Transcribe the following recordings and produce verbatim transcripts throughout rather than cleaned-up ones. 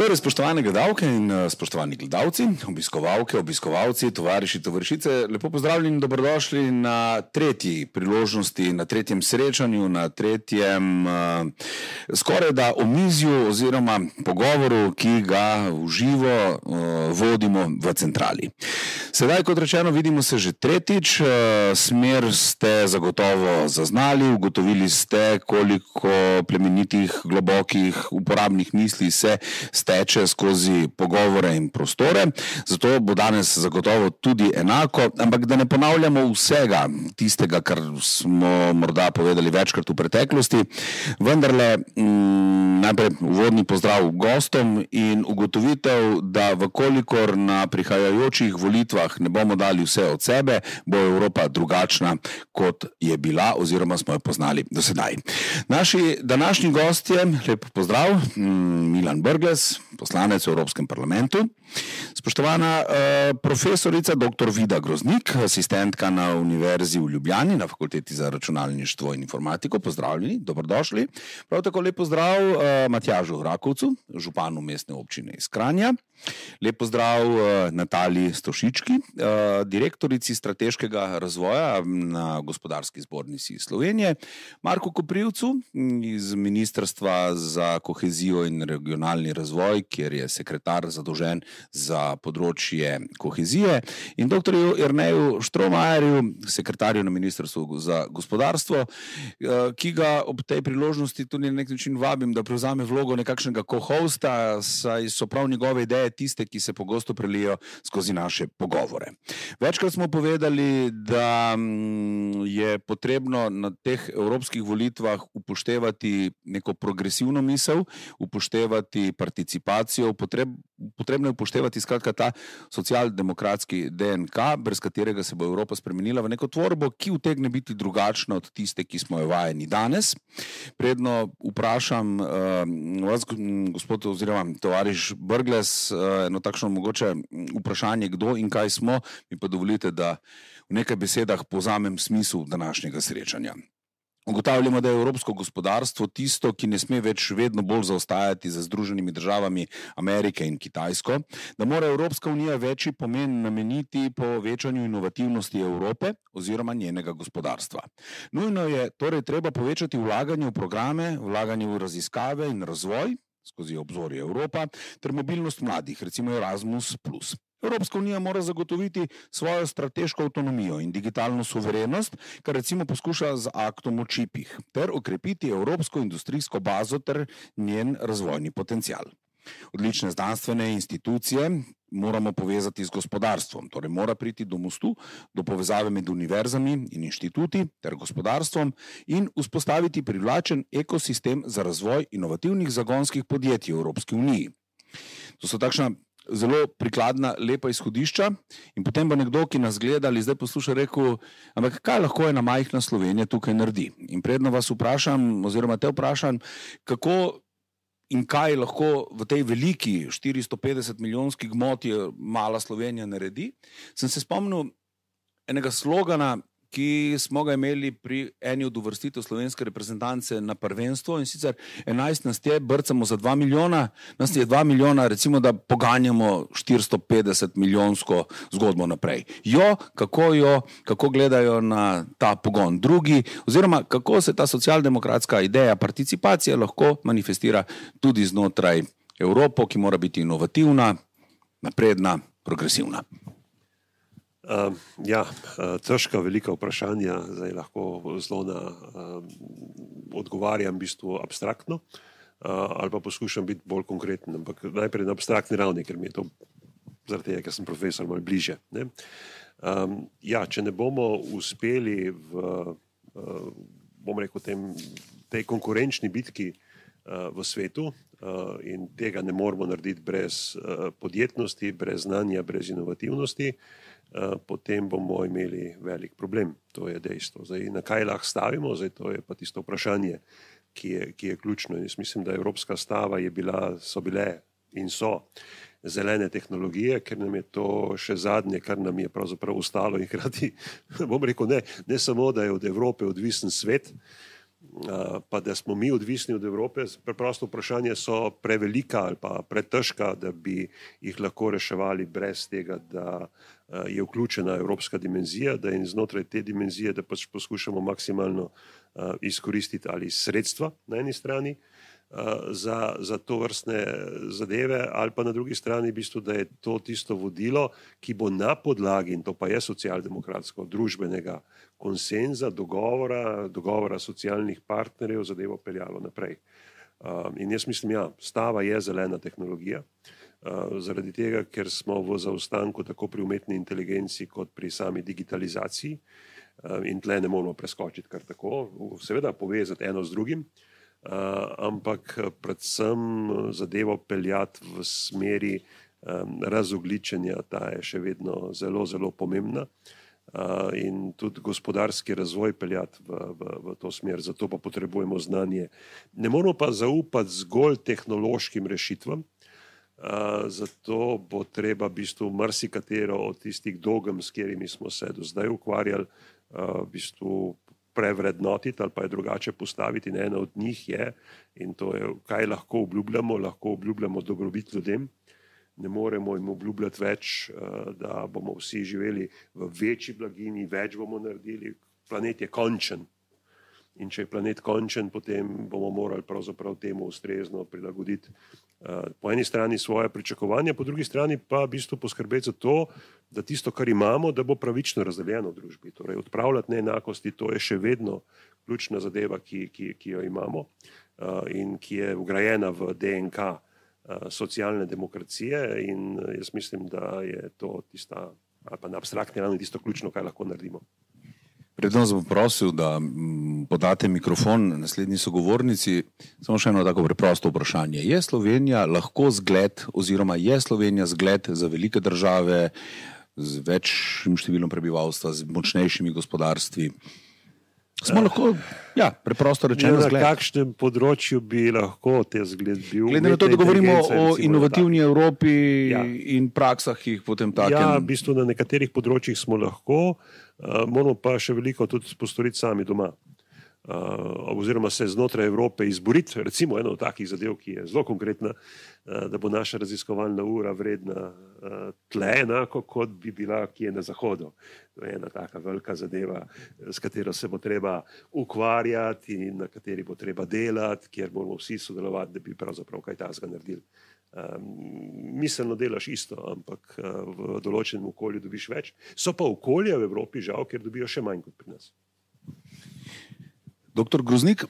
Torej, spoštovane gledalke in spoštovani gledalci, obiskovalke, obiskovalci, tovariši, tovarišice, lepo pozdravljeni in dobrodošli na tretji priložnosti, na tretjem srečanju, na tretjem uh, skoraj da omizju oziroma pogovoru, ki ga v živo uh, vodimo v centrali. Sedaj, kot rečeno, vidimo se že tretjič, uh, smer ste zagotovo zaznali, ugotovili ste, koliko plemenitih, globokih, uporabnih misli se teče skozi pogovore in prostore, zato bo danes zagotovo tudi enako, ampak da ne ponavljamo vsega tistega, kar smo morda povedali večkrat v preteklosti, vendarle m, najprej uvodni pozdrav gostom in ugotovitev, da vkolikor na prihajajočih volitvah ne bomo dali vse od sebe, bo Evropa drugačna, kot je bila oziroma smo jo poznali do sedaj. Naši današnji gostje, lep pozdrav, Milan Brglez, poslanec v Evropskem parlamentu, spoštovana uh, profesorica doktor Vida Groznik, asistentka na Univerzi v Ljubljani na Fakulteti za računalništvo in informatiko, pozdravljeni, dobrodošli. Prav tako lep pozdrav uh, Matjažu Rakovcu, županu mestne občine iz Kranja. Lep pozdrav uh, Nataliji Stošički, uh, direktorici strateškega razvoja na Gospodarski zbornici Slovenije, Marku Koprivcu iz Ministrstva za kohezijo in regionalni razvoj, kjer je sekretar zadolžen za področje kohezije, in doktorju Jerneju Štromajerju, sekretarju na Ministrstvu za gospodarstvo, ki ga ob tej priložnosti tudi na nek način vabim, da prevzame vlogo nekakšnega co-hosta, saj so prav njegove ideje tiste, ki se pogosto prelijo skozi naše pogovore. Večkrat smo povedali, da je potrebno na teh evropskih volitvah upoštevati neko progresivno misel, upoštevati participacijo, potreb, potrebno je upoštevati skratka ta socialdemokratski D N K, brez katerega se bo Evropa spremenila v neko tvorbo, ki utegne biti drugačna od tiste, ki smo jo vajeni danes. Predno vprašam uh, vas, gospod oziroma tovariš Brglez, uh, eno takšno mogoče vprašanje, kdo in kaj smo, mi pa dovolite, da v nekaj besedah povzamem smisel današnjega srečanja. Ugotavljamo, da je evropsko gospodarstvo tisto, ki ne sme več vedno bolj zaostajati za Združenimi državami Amerike in Kitajsko, da mora Evropska unija večji pomen nameniti povečanju inovativnosti Evrope oziroma njenega gospodarstva. Nujno je torej treba povečati vlaganje v programe, vlaganje v raziskave in razvoj skozi obzorje Evropa ter mobilnost mladih, recimo Erasmus plus. Evropska unija mora zagotoviti svojo strateško avtonomijo in digitalno suverenost, kar recimo poskuša z aktom o čipih, ter okrepiti evropsko industrijsko bazo ter njen razvojni potencial. Odlične znanstvene institucije moramo povezati z gospodarstvom, torej mora priti do mostu, do povezave med univerzami in inštituti ter gospodarstvom in vzpostaviti privlačen ekosistem za razvoj inovativnih zagonskih podjetij v Evropski uniji. To so takšna zelo prikladna, lepa izhodišča in potem bo nekdo, ki nas gleda ali zdaj posluša, rekel, ampak kaj lahko ena majhna Slovenija tukaj naredi? In predno vas vprašam, oziroma te vprašam, kako in kaj lahko v tej veliki štiristo petdeset milijonski gmoti mala Slovenija naredi, sem se spomnil enega slogana, ki smo ga imeli pri eni od uvrstitev slovenske reprezentance na prvenstvo, in sicer enajst nas je, brcamo za dva milijona, nas je dva milijona, recimo, da poganjamo štiristo petdeset milijonsko zgodbo naprej. Jo, kako jo, kako gledajo na ta pogon drugi, oziroma kako se ta socialdemokratska ideja participacije lahko manifestira tudi znotraj Evropo, ki mora biti inovativna, napredna, progresivna. Uh, ja, uh, težka, velika vprašanja, zdaj lahko zelo na uh, odgovarjam v bistvu abstraktno, uh, ali pa poskušam biti bolj konkreten, ampak najprej na abstraktni ravni, ker mi je to zaradi tega, ker sem profesor, malo bliže. Ne? Um, ja, če ne bomo uspeli v, uh, bom rekel, tem, tej konkurenčni bitki uh, v svetu uh, in tega ne moramo narediti brez uh, podjetnosti, brez znanja, brez inovativnosti, Uh, potem bomo imeli velik problem. To je dejstvo. Zdaj, na kaj lahko stavimo? Zdaj, to je pa tisto vprašanje, ki je, ki je ključno. Jaz mislim, da evropska stava je bila, so bile in so zelene tehnologije, ker nam je to še zadnje, kar nam je pravzaprav ostalo in hkrati, bom rekel, ne, ne samo, da je od Evrope odvisen svet, pa da smo mi odvisni od Evrope, preprosto vprašanje so prevelika ali pa pretežka, da bi jih lahko reševali brez tega, da je vključena evropska dimenzija, da in znotraj te dimenzije, da pač poskušamo maksimalno izkoristiti ali sredstva na eni strani za, za to vrstne zadeve, ali pa na drugi strani v bistvu, da je to tisto vodilo, ki bo na podlagi, in to pa je socialdemokratsko, družbenega konsenza, dogovora, dogovora socialnih partnerjev zadevo peljalo naprej. In jaz mislim, ja, stava je zelena tehnologija, zaradi tega, ker smo v zaostanku tako pri umetni inteligenci kot pri sami digitalizaciji in tle ne moramo preskočiti kar tako, seveda povezati eno z drugim, ampak predvsem zadevo peljati v smeri razogličenja, ta je še vedno zelo, zelo pomembna. In tudi gospodarski razvoj peljati v, v, v to smer, zato pa potrebujemo znanje. Ne moramo pa zaupati zgolj tehnološkim rešitvam, zato bo treba v bistvu marsikatero od tistih dogem, s katerimi smo se do zdaj ukvarjali, v bistvu prevrednotiti ali pa je drugače postaviti. In ena od njih je, in to je, kaj lahko obljubljamo, lahko obljubljamo dobrobit ljudem. Ne moremo jim obljubljati več, da bomo vsi živeli v večji blaginji, več bomo naredili. Planet je končen. In če je planet končen, potem bomo morali pravzaprav temu ustrezno prilagoditi po eni strani svoje pričakovanja, po drugi strani pa v bistvu poskrbeti za to, da tisto, kar imamo, da bo pravično razdeljeno v družbi. Torej, odpravljati neenakosti, to je še vedno ključna zadeva, ki, ki, ki jo imamo in ki je vgrajena v D N K socialne demokracije, in jaz mislim, da je to tista, ali pa na abstraktni ravni tisto ključno, kaj lahko naredimo. Predno sem prosil, da podate mikrofon naslednji sogovornici. Samo še eno tako preprosto vprašanje. Je Slovenija lahko zgled, oziroma je Slovenija zgled za velike države z večjim številom prebivalstva, z močnejšimi gospodarstvi? Smo lahko, ja, preprosto rečeno na zgled. Na kakšnem področju bi lahko te zgled bil? Glede na to, da govorimo o inovativni Evropi, ja, in praksah, ki jih potem takem... Ja, v bistvu na nekaterih področjih smo lahko, uh, moramo pa še veliko tudi postoriti sami doma. Uh, oziroma se znotraj Evrope izboriti, recimo eno od takih zadev, ki je zelo konkretna, uh, da bo naša raziskovalna ura vredna uh, tle enako, kot bi bila kje na Zahodu. To je ena taka velika zadeva, s katero se bo treba ukvarjati in na kateri bo treba delati, kjer moramo vsi sodelovati, da bi pravzaprav kaj takega naredili. Um, miselno delaš isto, ampak uh, v določenem okolju dobiš več. So pa okolje v Evropi žal, ker dobijo še manj kot pri nas. Doktor Groznik,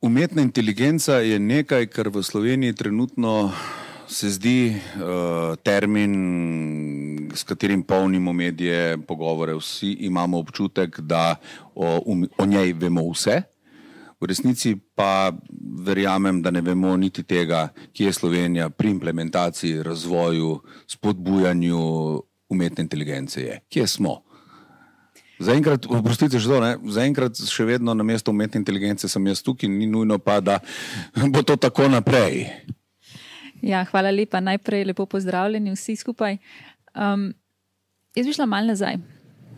umetna inteligenca je nekaj, kar v Sloveniji trenutno se zdi uh, termin, s katerim polnimo medije, pogovore. Vsi imamo občutek, da o, um, o njej vemo vse. V resnici pa verjamem, da ne vemo niti tega, kje je Slovenija pri implementaciji, razvoju, spodbujanju umetne inteligence je. Kje smo? Zaenkrat, oprostite že to, ne, zaenkrat še vedno na mesto umetne inteligence sem jaz tukaj, ni nujno pa, da bo to tako naprej. Ja, hvala lepa. Najprej lepo pozdravljeni vsi skupaj. Um, jaz bi šla malo nazaj.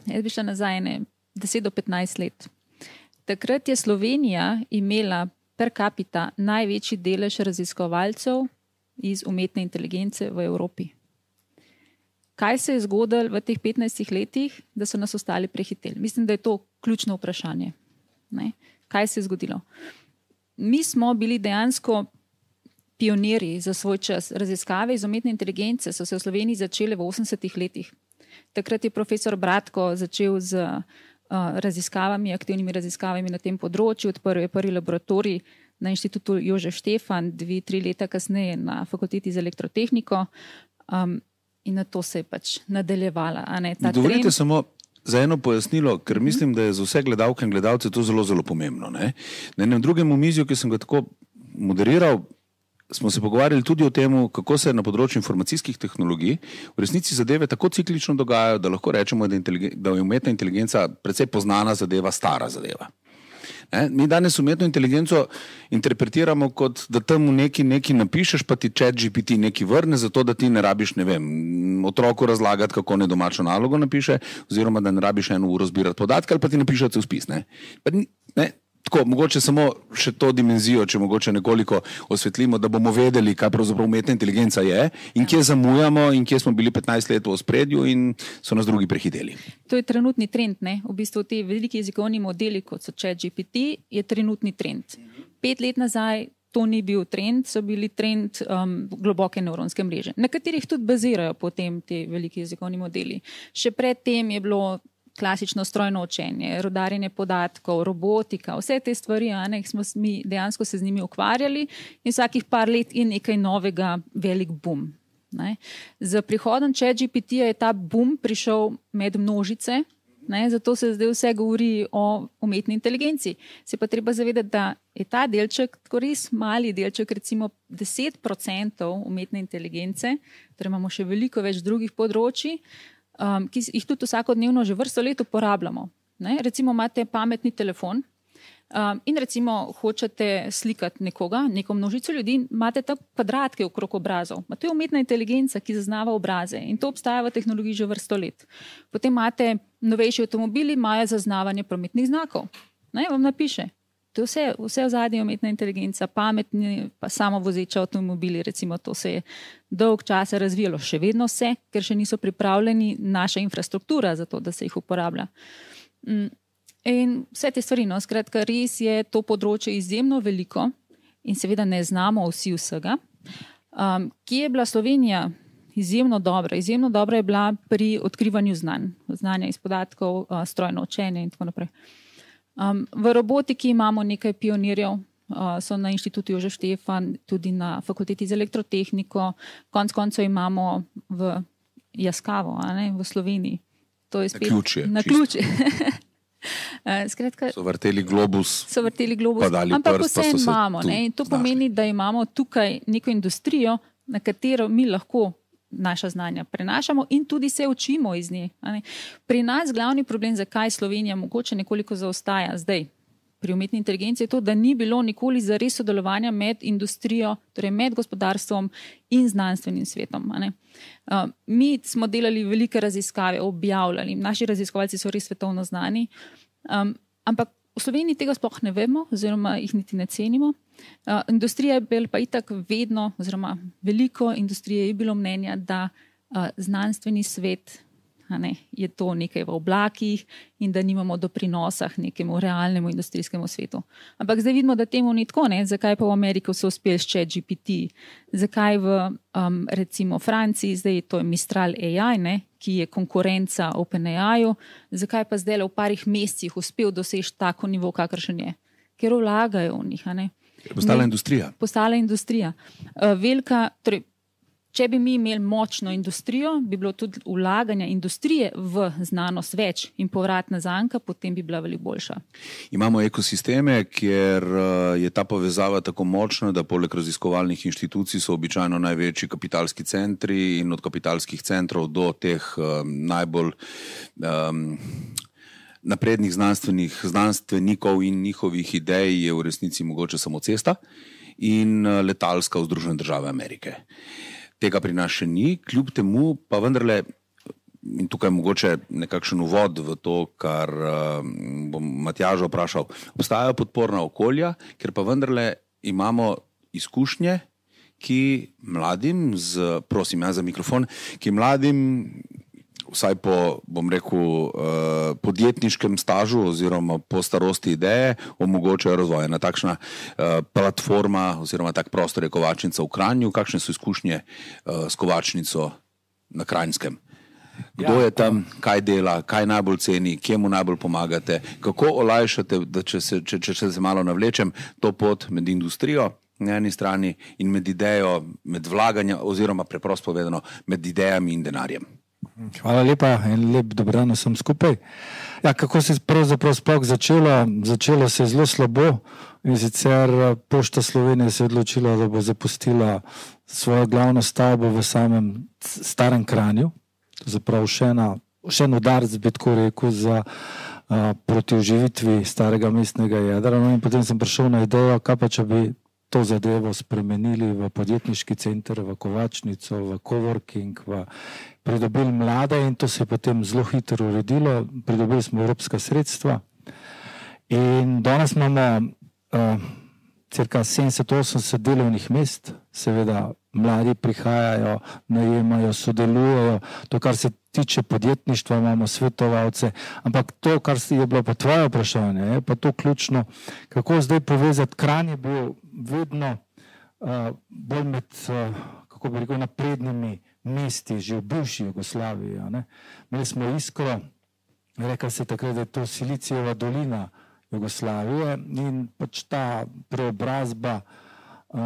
Jaz bi šla nazaj ne, deset do petnajst let. Takrat je Slovenija imela per capita največji delež raziskovalcev iz umetne inteligence v Evropi. Kaj se je zgodilo v teh petnajstih letih, da so nas ostali prehiteli? Mislim, da je to ključno vprašanje. Ne? Kaj se je zgodilo? Mi smo bili dejansko pionirji za svoj čas. Raziskave iz umetne inteligence so se v Sloveniji začele v osemdesetih letih. Takrat je profesor Bratko začel z uh, raziskavami, aktivnimi raziskavami na tem področju. Odprl je prvi laboratorij na inštitutu Jožef Štefan, dve, tri leta kasneje na fakulteti za elektrotehniko. Um, In na to se je pač nadaljevala. A ne, ta Dovolite trend... samo za eno pojasnilo, ker mm-hmm. mislim, da je za vse gledalke in gledalce to zelo, zelo pomembno. Ne? Na enem drugem omizju, ki sem ga tako moderiral, smo se pogovarjali tudi o tem, kako se na področju informacijskih tehnologij v resnici zadeve tako ciklično dogajajo, da lahko rečemo, da, inteligen... da je umetna inteligenca precej poznana zadeva, stara zadeva. Ne? Mi danes umetno inteligenco interpretiramo kot, da tam nekaj, nekaj napišeš, pa ti chat G P T nekaj vrne, zato da ti ne rabiš, ne vem, otroku razlagati, kako ne domačo nalogo napiše, oziroma da ne rabiš eno uro zbirati podatke, ali pa ti napiše cel spis. Ne? Pa, ne? Tako, mogoče samo še to dimenzijo, če mogoče nekoliko osvetlimo, da bomo vedeli, kaj pravzaprav umetna inteligenca je in kje zamujamo in kje smo bili petnajst let v ospredju in so nas drugi prehiteli. To je trenutni trend, ne? V bistvu ti veliki jezikovni modeli, kot so ChatGPT, je trenutni trend. Pet let nazaj to ni bil trend, so bili trend um, globoke nevronske mreže, na katerih tudi bazirajo potem ti veliki jezikovni modeli. Še predtem je bilo klasično strojno učenje, rudarjenje podatkov, robotika, vse te stvari, a ne, smo mi dejansko se z njimi ukvarjali in vsakih par let je nekaj novega, velik boom. Ne. Z prihodom ChatGPT-ja je ta boom prišel med množice, ne, zato se zdaj vse govori o umetni inteligenci. Se pa treba zavedati, da je ta delček, tako res mali delček, recimo deset procentov umetne inteligence, torej imamo še veliko več drugih področij, Um, ki jih tudi vsakodnevno že vrsto let uporabljamo. Ne? Recimo imate pametni telefon um, in recimo hočete slikati nekoga, neko množico ljudi, imate ta kvadratke okrog obrazov. Ma to je umetna inteligenca, ki zaznava obraze in to obstaja v tehnologiji že vrsto let. Potem imate novejši avtomobili, imajo zaznavanje prometnih znakov. Ne? Vam napiše. To je vse, vse v zadnji umetna inteligenca, pametni, pa samovozeči avtomobili, recimo to se je dolg časa razvijalo, še vedno vse, ker še niso pripravljeni naša infrastruktura za to, da se jih uporablja. In vse te stvari, no, skratka, res je to področje izjemno veliko in seveda ne znamo vsi vsega. Um, kje je bila Slovenija izjemno dobra? Izjemno dobra je bila pri odkrivanju znanj, znanja iz podatkov, uh, strojno učenje in tako naprej. Um, v robotiki imamo nekaj pionirjev, uh, so na inštitutu Jožef Štefan, tudi na fakulteti za elektrotehniko, konc koncev imamo v Jaskavo, a ne, v Sloveniji. To je spet na ključje. Na ključje. Skratka, so vrteli globus, so vrteli globus, ampak vse imamo. Ne, in to pomeni, da imamo tukaj neko industrijo, na katero mi lahko naša znanja prenašamo in tudi se učimo iz nje. Pri nas glavni problem, zakaj Slovenija mogoče nekoliko zaostaja zdaj pri umetni inteligenci, je to, da ni bilo nikoli zares sodelovanja med industrijo, torej med gospodarstvom in znanstvenim svetom. Uh, mi smo delali velike raziskave, objavljali, naši raziskovalci so res svetovno znani, um, ampak v Sloveniji tega sploh ne vemo, oziroma jih niti ne cenimo. Uh, industrija je bil pa itak vedno, oziroma veliko industrije je bilo mnenja, da uh, znanstveni svet, a ne, je to nekaj v oblakih in da nimamo doprinosa nekemu realnemu industrijskemu svetu. Ampak zdaj vidimo, da temu ni tako, ne? Zakaj pa v Ameriki so uspeli s ChatGPT, zakaj v um, recimo Franciji, zdaj to je Mistral A I, ne? Ki je konkurenca OpenAI-ju, zakaj pa zdaj v parih mesecih uspel doseči tako nivo, kakršen je? Ker vlagajo v njih, a ne? Je postala industrija. Postala industrija. Uh, velika, torej, če bi mi imeli močno industrijo, bi bilo tudi vlaganja industrije v znanost več in povratna zanka, potem bi bila veliko boljša. Imamo ekosisteme, kjer je ta povezava tako močna, da poleg raziskovalnih inštitucij so običajno največji kapitalski centri in od kapitalskih centrov do teh um, najbolj um, naprednih znanstvenih znanstvenikov in njihovih idej je v resnici mogoče samo cesta in letalska v Združene države Amerike. Tega pri nas še ni, kljub temu pa vendarle, in tukaj mogoče nekakšen uvod v to, kar uh, bom Matjaža vprašal, obstajajo podporna okolja, ker pa vendarle imamo izkušnje, ki mladim, z, prosim ja za mikrofon, ki mladim, vsaj po, bom rekel, uh, podjetniškem stažu oziroma po starosti ideje, omogočajo razvoj. Ena takšna uh, platforma oziroma tak prostor je Kovačnica v Kranju. Kakšne so izkušnje uh, s Kovačnico na Kranjskem? Kdo ja, je tam, kaj dela, kaj najbolj ceni, kje mu najbolj pomagate, kako olajšate, da če se, če, če se malo navlečem, to pot med industrijo na eni strani in med idejo, med vlaganja oziroma preprosto povedano med idejami in denarjem? Hvala lepa in lep dobran vsem skupaj. Ja, kako se je pravzaprav sploh začelo? Začelo se je zelo slabo in sicer Pošta Slovenije se je odločila, da bo zapustila svojo glavno stavbo v samem starem Kranju. Zapravo še, ena, še en udarc, bi tako rekel, za a, proti oživitvi starega mestnega jedra. No, in potem sem prišel na idejo, kaj pa če bi to zadevo spremenili v podjetniški center, v Kovačnico, v coworking, v pridobili mlade in to se je potem zelo hitro uredilo. Pridobili smo evropska sredstva In danes imamo uh, cirka sedemdeset osemdeset delovnih mest, seveda mladi prihajajo, najemajo, sodelujejo, to, kar se tiče podjetništva, imamo svetovalce, ampak to, kar je bilo pa tvoje vprašanje, je pa to ključno, kako zdaj povezati. Kranj je bil vedno uh, bolj med, uh, kako bi rekel, naprednimi mesti, že v bivši Jugoslaviji. Imeli smo Iskro, rekel se takrat, da je to Silicijeva dolina Jugoslavije in pač ta preobrazba Uh,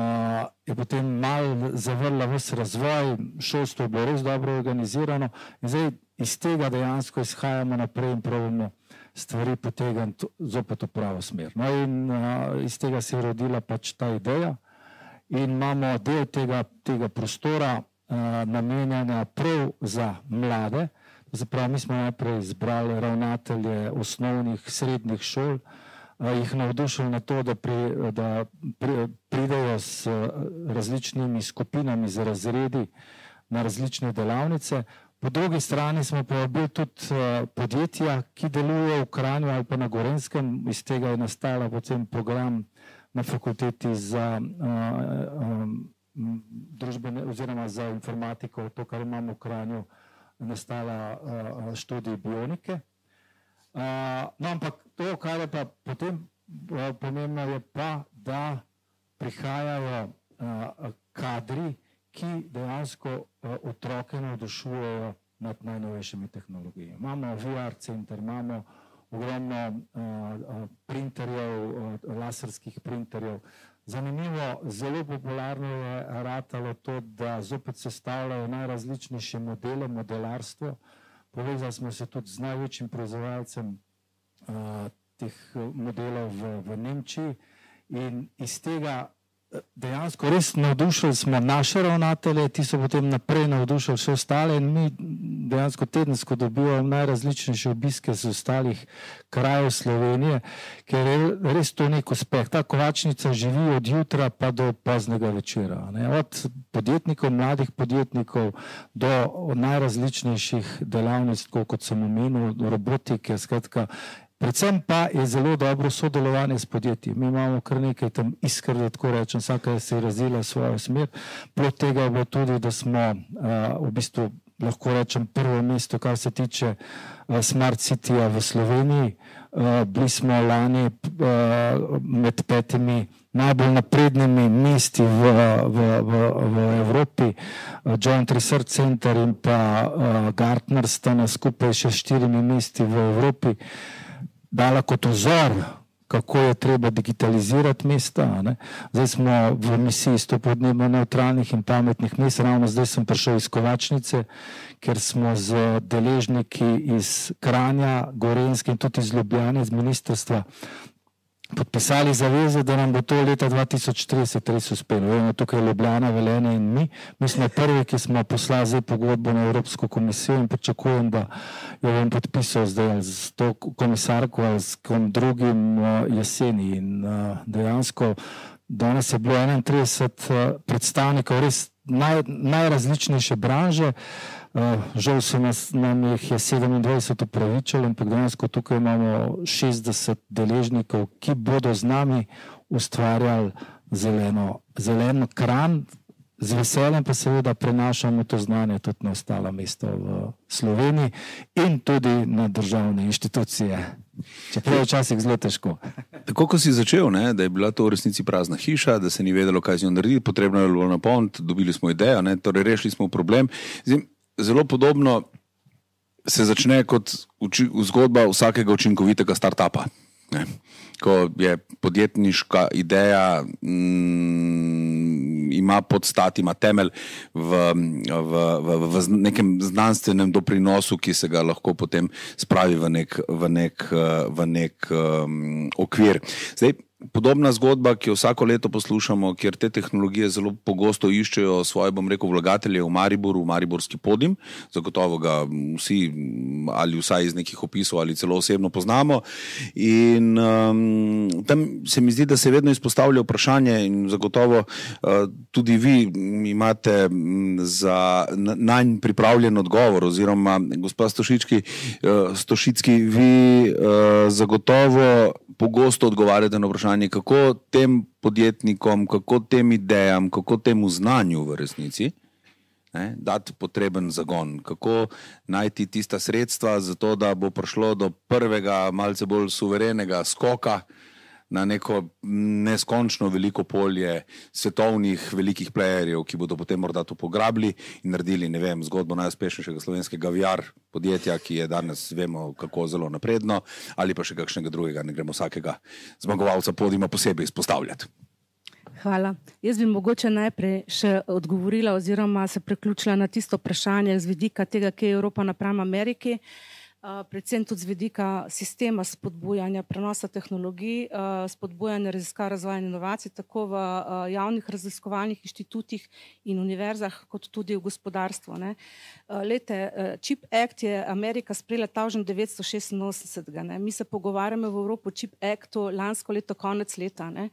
je potem malo zavrla vse razvoj, šolstvo je bilo res dobro organizirano in zdaj iz tega dejansko izhajamo naprej in probamo stvari potegniti zopet v pravo smer. No in uh, iz tega se je rodila pač ta ideja in imamo del tega, tega prostora uh, namenjena prav za mlade. Zapravo mi smo najprej izbrali ravnatelje osnovnih, srednjih šol, jih navdušili na to, da, pri, da pri, pridejo s različnimi skupinami, z razredi na različne delavnice. Po drugi strani smo povabili tudi podjetja, ki delujejo v Kranju ali pa na Gorenjskem. Iz tega je nastala potem program na fakulteti za uh, um, družbene oziroma za informatiko, to, kar imamo v Kranju, nastala uh, študij bionike. Uh, no, ampak to, kar je pa potem uh, pomembno, je pa, da prihajajo uh, kadri, ki dejansko uh, otroke navdušujejo nad najnovejšimi tehnologijami. Imamo V R center, imamo ogromno uh, uh, printerjev, uh, laserskih printerjev. Zanimivo, zelo popularno je ratalo to, da zopet sestavljajo najrazličnejše modele, modelarstvo. Povezali smo se tudi z največjim proizvajalcem uh, teh modelov v, v Nemčiji in iz tega dejansko res navdušili smo naše ravnatelje, ti so potem naprej navdušili vse ostale in mi dejansko tedensko dobivamo najrazličnejše obiske z ostalih krajev Slovenije, ker je res to nek uspeh. Ta kovačnica živi od jutra pa do poznega večera. Ne? Od podjetnikov, mladih podjetnikov do najrazličnejših delavnic, kot sem omenil, robotike, skratka. Predvsem pa je zelo dobro sodelovanje s podjetji. Mi imamo kar nekaj tam iskr, da tako rečem, vsaka se je razvila svojo smer. Plod tega je bilo tudi, da smo uh, v bistvu, lahko rečem, prvo mesto, kar se tiče uh, Smart Cityja v Sloveniji. Uh, bili smo lani uh, med petimi najbolj naprednimi mesti v, v, v, v Evropi. Uh, Joint Research Center in pa uh, Gartner sta nas skupaj še štirimi mesti v Evropi dala kot vzor, kako je treba digitalizirati mesta. Ne? Zdaj smo v misiji sto podnebno neutralnih in pametnih mest. Ravno zdaj sem prišel iz Kovačnice, ker smo z deležniki iz Kranja, Gorenjske in tudi iz Ljubljane, iz ministrstva, podpisali zaveze, da nam bo to leta dva tisoč trideset res uspelo. Vemo, tukaj je Ljubljana, Velenje in mi. Mi smo prvi, ki smo poslali zdaj pogodbo na Evropsko komisijo in pričakujem, da jo bom podpisal zdaj z to komisarko ali s kom drugim jeseni. In dejansko danes je bilo enaintrideset predstavnikov res naj, najrazličnejše branže. Uh, žal se nas, nam jih je sedemindvajset upravičilo, ampak dejansko tukaj imamo šestdeset deležnikov, ki bodo z nami ustvarjali zeleno, zeleno Kranj. Z veseljem pa seveda prenašamo to znanje tudi na ostala mesta v Sloveniji in tudi na državne inštitucije. Čeprav je včasih zelo težko. Tako, ko si začel, ne, da je bila to v resnici prazna hiša, da se ni vedelo, kaj z njo narediti, potrebno je bilo napolniti, dobili smo idejo, ne, torej rešili smo problem. Zdaj, zelo podobno se začne kot uči, zgodba vsakega učinkovitega startupa. Ne. Ko je podjetniška ideja, mm, ima podstat, ima temelj v, v, v, v nekem znanstvenem doprinosu, ki se ga lahko potem spravi v nek, v nek, v nek um, okvir. Zdaj, podobna zgodba, ki jo vsako leto poslušamo, kjer te tehnologije zelo pogosto iščejo svoje, bom rekel, vlagatelje v Mariboru, v mariborski Podim. Zagotovo ga vsi ali vsaj iz nekih opisov ali celo osebno poznamo. In um, tam se mi zdi, da se vedno izpostavlja vprašanje in zagotovo uh, tudi vi imate za nanj pripravljen odgovor oziroma gospa Stošički, uh, Stošicki, vi uh, zagotovo pogosto odgovarjate na vprašanje, kako tem podjetnikom, kako tem idejam, kako temu znanju v resnici ne, dati potreben zagon, kako najti tista sredstva za to, da bo prišlo do prvega malce bolj suverenega skoka na neko neskončno veliko polje svetovnih velikih playerjev, ki bodo potem morda to pograbili in naredili, ne vem, zgodbo najuspešnejšega slovenskega V R podjetja, ki je danes, vemo, kako zelo napredno, ali pa še kakšnega drugega, ne gremo vsakega zmagovalca podima posebej izpostavljati. Hvala. Jaz bi mogoče najprej še odgovorila oziroma se preključila na tisto vprašanje z vidika tega, kje je Evropa napram Ameriki. Uh, predvsem tudi z vidika sistema spodbujanja prenosa tehnologij, uh, spodbujanja raziskav, razvoja in inovacij, tako v uh, javnih raziskovalnih inštitutih in univerzah, kot tudi v gospodarstvu. Ne. Uh, lete, uh, Chip Act je Amerika sprejela tisoč devetsto šestinosemdeset. Ne. Mi se pogovarjamo v Evropi o Chip Actu lansko leto, konec leta. Ne.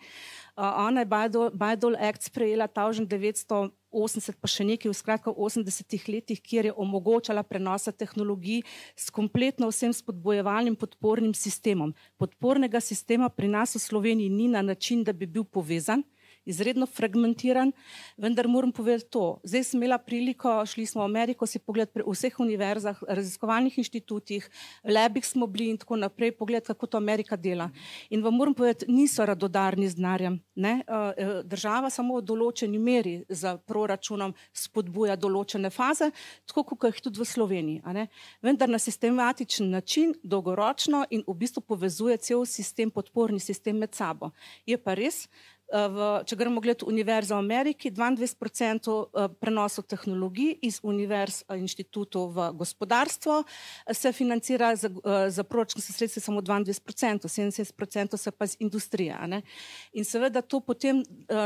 Uh, ona je Bayh-Dole Act sprejela tisoč devetsto osemdeset, pa še nekaj v skratka v osemdesetih letih, kjer je omogočala prenosa tehnologij s kompletno vsem spodbojevalnim podpornim sistemom. Podpornega sistema pri nas v Sloveniji ni na način, da bi bil povezan, izredno fragmentiran, vendar moram povedati to. Zdaj sem imela priliko, šli smo v Ameriko si pogledati pri vseh univerzah, raziskovalnih inštitutih, labih smo bili in tako naprej, pogledati, kako to Amerika dela. In vam moram povedati, niso radodarni z denarjem. Država samo v določeni meri za proračunom spodbuja določene faze, tako kot jih tudi v Sloveniji. A ne? Vendar na sistematičen način, dolgoročno in v bistvu povezuje cel sistem, podporni sistem med sabo. Je pa res, V, če gremo gledati Univerzo v Ameriki, dvaindvajset procentov prenosov tehnologij iz univerz inštitutov v gospodarstvo se financira za, za proračunske sredstva samo dvaindvajset procentov, sedemdeset procentov se pa iz industrije. Ne? In seveda to potem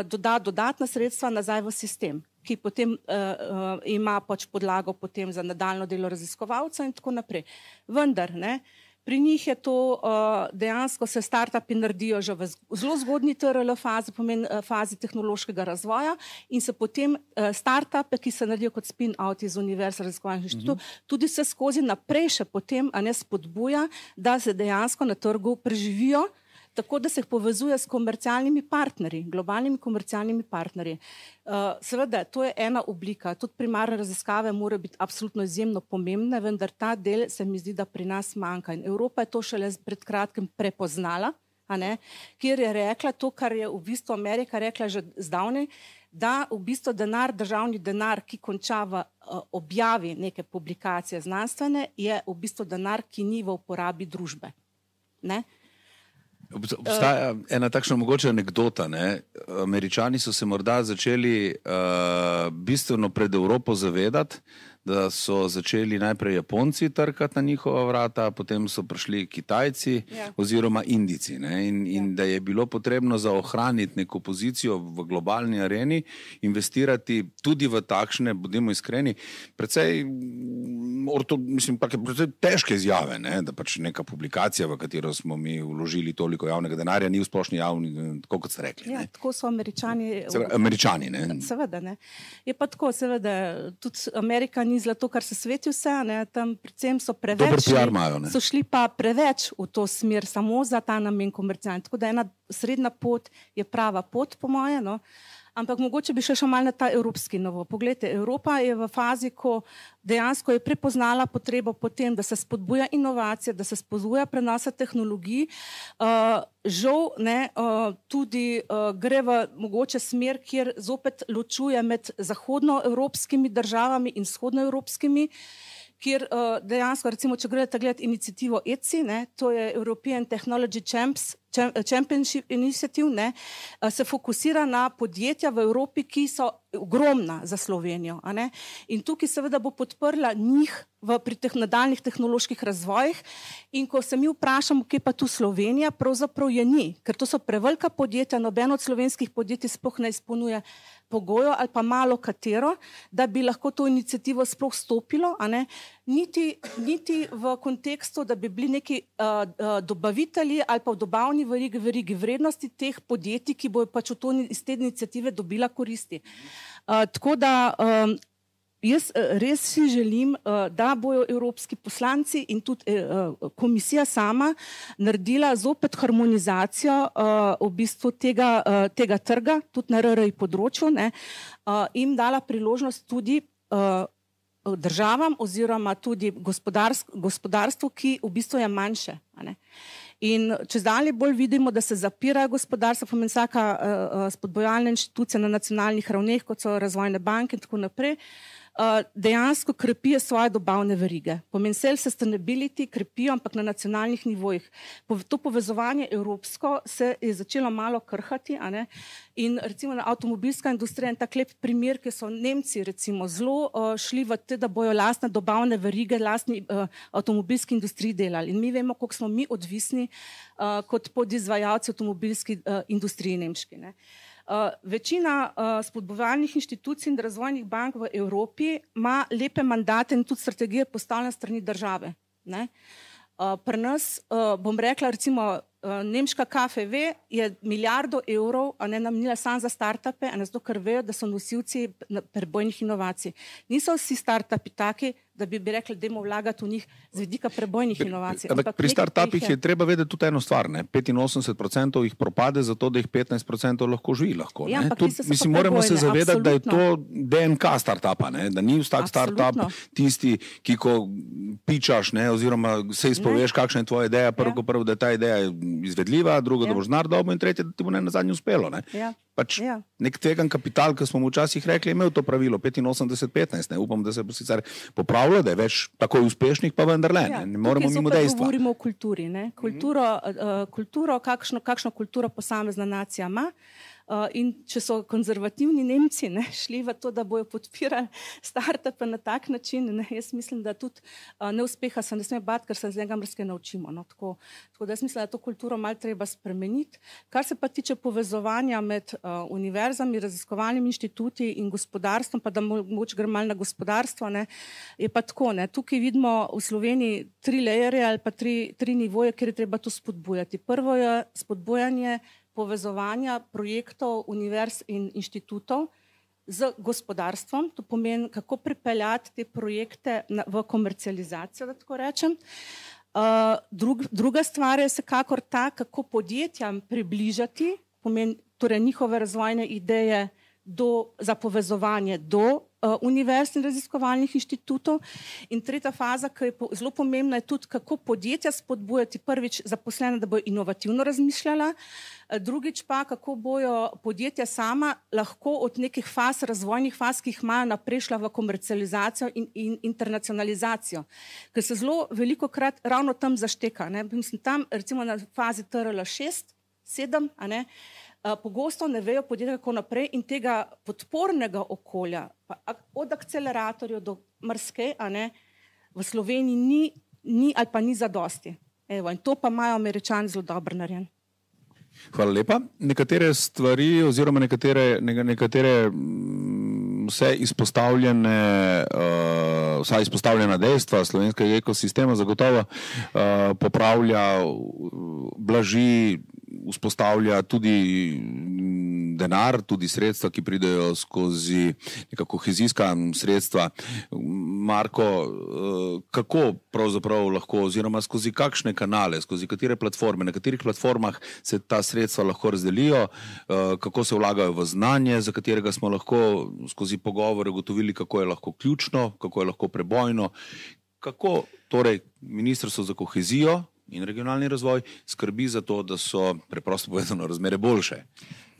doda dodatna sredstva nazaj v sistem, ki potem uh, uh, ima pač podlago potem za nadaljno delo raziskovalca in tako naprej. Vendar, ne, pri njih je to uh, dejansko se startupi naredijo že v zelo zgodnji T R L fazi, pomeni uh, fazi tehnološkega razvoja in se potem uh, startupe, ki se naredijo kot spin-out iz univerz raziskovalnih inštitutov, mm-hmm. tudi se skozi naprej še potem a ne spodbuja, da se dejansko na trgu preživijo, tako da se jih povezuje s komercialnimi partnerji, globalnimi komercialnimi partnerji. Uh, seveda, to je ena oblika. Tudi primarne raziskave morajo biti absolutno izjemno pomembne, vendar ta del se mi zdi, da pri nas manjka. In Evropa je to šele pred kratkim prepoznala, a ne, kjer je rekla to, kar je v bistvu Amerika rekla že zdavnaj, da v bistvu denar, državni denar, ki konča v uh, objavi neke publikacije znanstvene, je v bistvu denar, ki ni v uporabi družbe. Ne? Obstaja ena takšna mogoče anekdota. Ne? Američani so se morda začeli uh, bistveno pred Evropo zavedati, da so začeli najprej Japonci trkati na njihova vrata, potem so prišli Kitajci ja. oziroma Indijci. Ne? In, in ja. da je bilo potrebno za ohraniti neko pozicijo v globalni areni investirati tudi v takšne, bodimo iskreni, precej, orto, mislim, take, precej težke izjave, ne? Da pač neka publikacija, v katero smo mi vložili toliko javnega denarja, ni v splošni javni, tako kot ste rekli. Ja, tako so Američani. Seveda, Američani, ne? Seveda, ne. Je pa tako, seveda, tudi Amerika ni zlato, kar se sveti vse, ne, tam predvsem so preveč, P R imajo, ne? So šli pa preveč v to smer, samo za ta namen komercialni. Tako da ena srednja pot je prava pot, po moje, no. Ampak mogoče bi še še malo na ta evropski novo. Poglejte, Evropa je v fazi, ko dejansko je prepoznala potrebo potem, da se spodbuja inovacije, da se spodbuja prenosa tehnologij. Uh, žal ne, uh, tudi uh, gre v mogoče smer, kjer zopet ločuje med zahodnoevropskimi državami in vzhodnoevropskimi, kjer uh, dejansko, recimo, če gledate gledati inicijativo E C I, ne, to je European Technology Champs, Championship Initiative, ne, se fokusira na podjetja v Evropi, ki so ogromna za Slovenijo. A ne? In tukaj seveda bo podprla njih v, pri teh nadaljnih tehnoloških razvojih. In ko se mi vprašamo, kje pa tu Slovenija, pravzaprav je ni, ker to so prevelika podjetja, nobeno od slovenskih podjetij sploh ne izpolnjuje pogojo ali pa malo katero, da bi lahko to inicijativo sploh stopilo, a ne? Niti, niti v kontekstu, da bi bili neki uh, uh, dobavitelji ali pa v dobavni verigi, verigi vrednosti teh podjetij, ki bojo pač v to, iz te inicijative dobila koristi. Uh, tako da um, jaz res si želim, da bojo evropski poslanci in tudi komisija sama naredila zopet harmonizacijo v bistvu tega, tega trga, tudi na R R I področju, ne, in dala priložnost tudi državam oziroma tudi gospodarstvu, ki v bistvu je manjše. Ne. In če zdalje bolj vidimo, da se zapirajo gospodarstva, pomeni vsaka uh, spodbojalna inštitucija na nacionalnih ravneh, kot so razvojne banke in tako naprej, uh, dejansko krepijo svoje dobavne verige. Pomeni self-sustainability krepijo, ampak na nacionalnih nivojih. To povezovanje evropsko se je začelo malo krhati, a ne? In recimo avtomobilska industrija je tak lep primer, ki so Nemci recimo zelo uh, šli v te, da bojo lastne dobavne verige, lastni uh, avtomobilski industriji delali. In mi vemo, koliko smo mi odvisni uh, kot podizvajalci avtomobilski uh, industriji nemški. Ne. Uh, večina uh, spodbovalnih inštitucij in razvojnih bank v Evropi ima lepe mandate in tudi strategije postavljene strani države. Ne. Uh, pri nas, uh, bom rekla, recimo uh, nemška K F W je milijardo evrov a ne namenila samo za startupe, a ne zato, ker vejo, da so nosilci prebojnih inovacij. Niso vsi startupi taki, da bi bi rekli, da idemo vlagati v njih z vidika prebojnih inovacij. Ampak pri startupih je treba vedeti tudi eno stvar, ne? petinosemdeset procentov jih propade, zato da jih petnajst procentov lahko živi. Lahko, ja, Tud, mislim, moramo se zavedati, absolutno. Da je to D N K startupa, ne? Da ni vsak startup tisti, ki ko pičaš, ne? Oziroma se izpoveš, kakšna je tvoja ideja, prvo, ja. prvo, da je ta ideja izvedljiva, drugo, ja. da boš znar dobo in tretje, da ti bo ne na zadnje uspelo. Ne? Ja. Pač ja. nek tvegan kapital, ki smo mu včasih rekli, je imel to pravilo petinosemdeset petnajst. Ne? Upam, da se bo sicer popravilo, da je več takoj uspešnih, pa vendarle. Ja. Ne moremo mimo dejstva. Govorimo o kulturi. Ne? Kulturo, uh, kulturo kakšno, kakšno kulturo posamezna nacija ima. Uh, in če so konzervativni Nemci ne, šli v to, da bojo podpirali startupe na tak način, ne, jaz mislim, da tudi uh, neuspeha se ne sme bati, ker se z njega mrske naučimo. No, tako, tako da jaz mislim, da to kulturo malo treba spremeniti. Kar se pa tiče povezovanja med uh, univerzami, raziskovalnimi inštituti in gospodarstvom, pa da mogoče gre malo na gospodarstvo, ne, je pa tako. Ne, tukaj vidimo v Sloveniji tri lejere ali pa tri, tri nivoje, kjer je treba to spodbujati. Prvo je spodbujanje povezovanja projektov univerz in inštitutov z gospodarstvom. To pomeni, kako pripeljati te projekte na, v komercializacijo, da tako rečem. Uh, drug, druga stvar je vsekakor ta, kako podjetjam približati, pomeni torej njihove razvojne ideje do, za povezovanje do uh, univerz in raziskovalnih inštitutov. In tretja faza, ki je po, zelo pomembna, je tudi, kako podjetja spodbujati prvič zaposlene, da bojo inovativno razmišljala, uh, drugič pa, kako bojo podjetja sama lahko od nekih faz, razvojnih faz, ki jih imajo, naprej šla v komercializacijo in, in internacionalizacijo. Ker se zelo veliko krat ravno tam zašteka. Ne? Mislim, tam recimo na fazi T R L šest, sedem, a ne, pogosto ne vejo podjetja kako naprej in tega podpornega okolja, pa od akceleratorjev do mrske, a ne, v Sloveniji ni, ni ali pa ni zadosti. Evo, in to pa imajo Američani zelo dobro narejen. Hvala lepa. Nekatere stvari oziroma nekatere, nekatere vse izpostavljene, uh, vsa izpostavljena dejstva slovenskega ekosistema zagotovo uh, popravlja, blaži, vzpostavlja tudi denar, tudi sredstva, ki pridejo skozi neka kohezijska sredstva. Marko, kako pravzaprav lahko, oziroma skozi kakšne kanale, skozi katere platforme, na katerih platformah se ta sredstva lahko razdelijo, kako se vlagajo v znanje, za katerega smo lahko skozi pogovore ugotovili, kako je lahko ključno, kako je lahko prebojno, kako torej Ministrstvo za kohezijo in regionalni razvoj skrbi za to, da so preprosto povedano razmere boljše.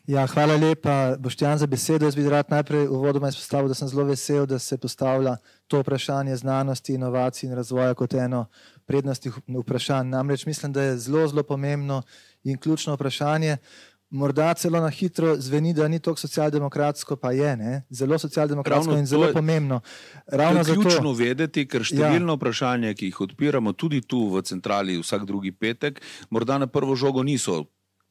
Ja, hvala lepa, Boštjan, za besedo. Jaz bi rad najprej uvodoma izpostavil, da sem zelo vesel, da se postavlja to vprašanje znanosti, inovacij in razvoja kot eno prednostnih vprašanj. Namreč mislim, da je zelo, zelo pomembno in ključno vprašanje. Morda celo na hitro zveni, da ni toliko socialdemokratsko, pa je, ne? Zelo socialdemokratsko Ravno in zelo je, pomembno. Ravno to je ključno zato, vedeti, ker številno ja. vprašanje, ki jih odpiramo tudi tu v centrali vsak drugi petek, morda na prvo žogo niso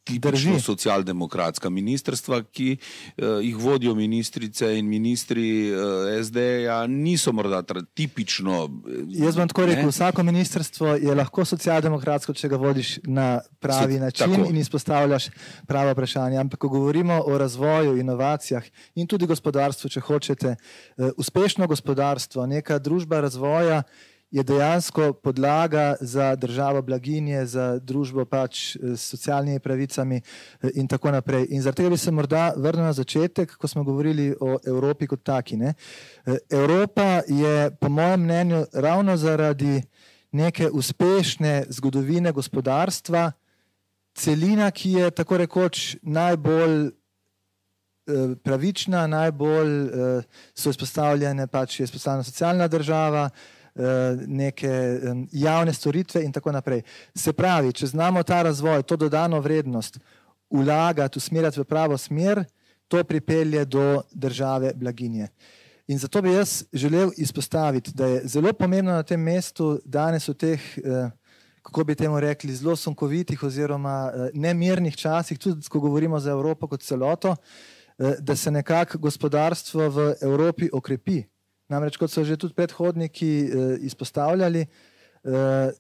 tipično socialdemokratska ministrstva, ki uh, jih vodijo ministrice in ministri uh, es de-ja, niso morda tipično. Jaz bom tako rekel, vsako ministrstvo je lahko socialdemokratsko, če ga vodiš na pravi so, način tako. In izpostavljaš pravo vprašanje. Ampak ko govorimo o razvoju, inovacijah in tudi gospodarstvu, če hočete, uh, uspešno gospodarstvo, neka družba razvoja je dejansko podlaga za državo blaginje, za družbo pač s socialnimi pravicami in tako naprej. In zaradi tega bi se morda vrnil na začetek, ko smo govorili o Evropi kot taki. Ne? Evropa je, po mojem mnenju, ravno zaradi neke uspešne zgodovine gospodarstva, celina, ki je tako rekoč najbolj pravična, najbolj so izpostavljene, pač je izpostavljena socialna država, neke javne storitve in tako naprej. Se pravi, če znamo ta razvoj, to dodano vrednost vlagati, usmerjati v pravo smer, to pripelje do države blaginje. In zato bi jaz želel izpostaviti, da je zelo pomembno na tem mestu danes v teh, kako bi temu rekli, zelo sunkovitih oziroma nemirnih časih, tudi ko govorimo za Evropo kot celoto, da se nekako gospodarstvo v Evropi okrepi. Namreč, kot so že tudi predhodniki eh, izpostavljali, eh,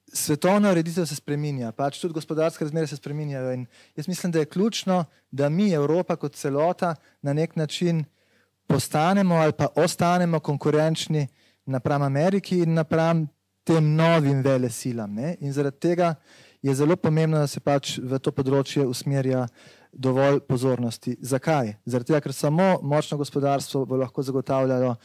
svetovna ureditev se spreminja, pač tudi gospodarske razmere se spreminjajo in jaz mislim, da je ključno, da mi, Evropa kot celota, na nek način postanemo ali pa ostanemo konkurenčni napram Ameriki in napram tem novim velesilam. Ne? In zaradi tega je zelo pomembno, da se pač v to področje usmerja dovolj pozornosti. Zakaj? Zaradi tega, ker samo močno gospodarstvo bo lahko zagotavljalo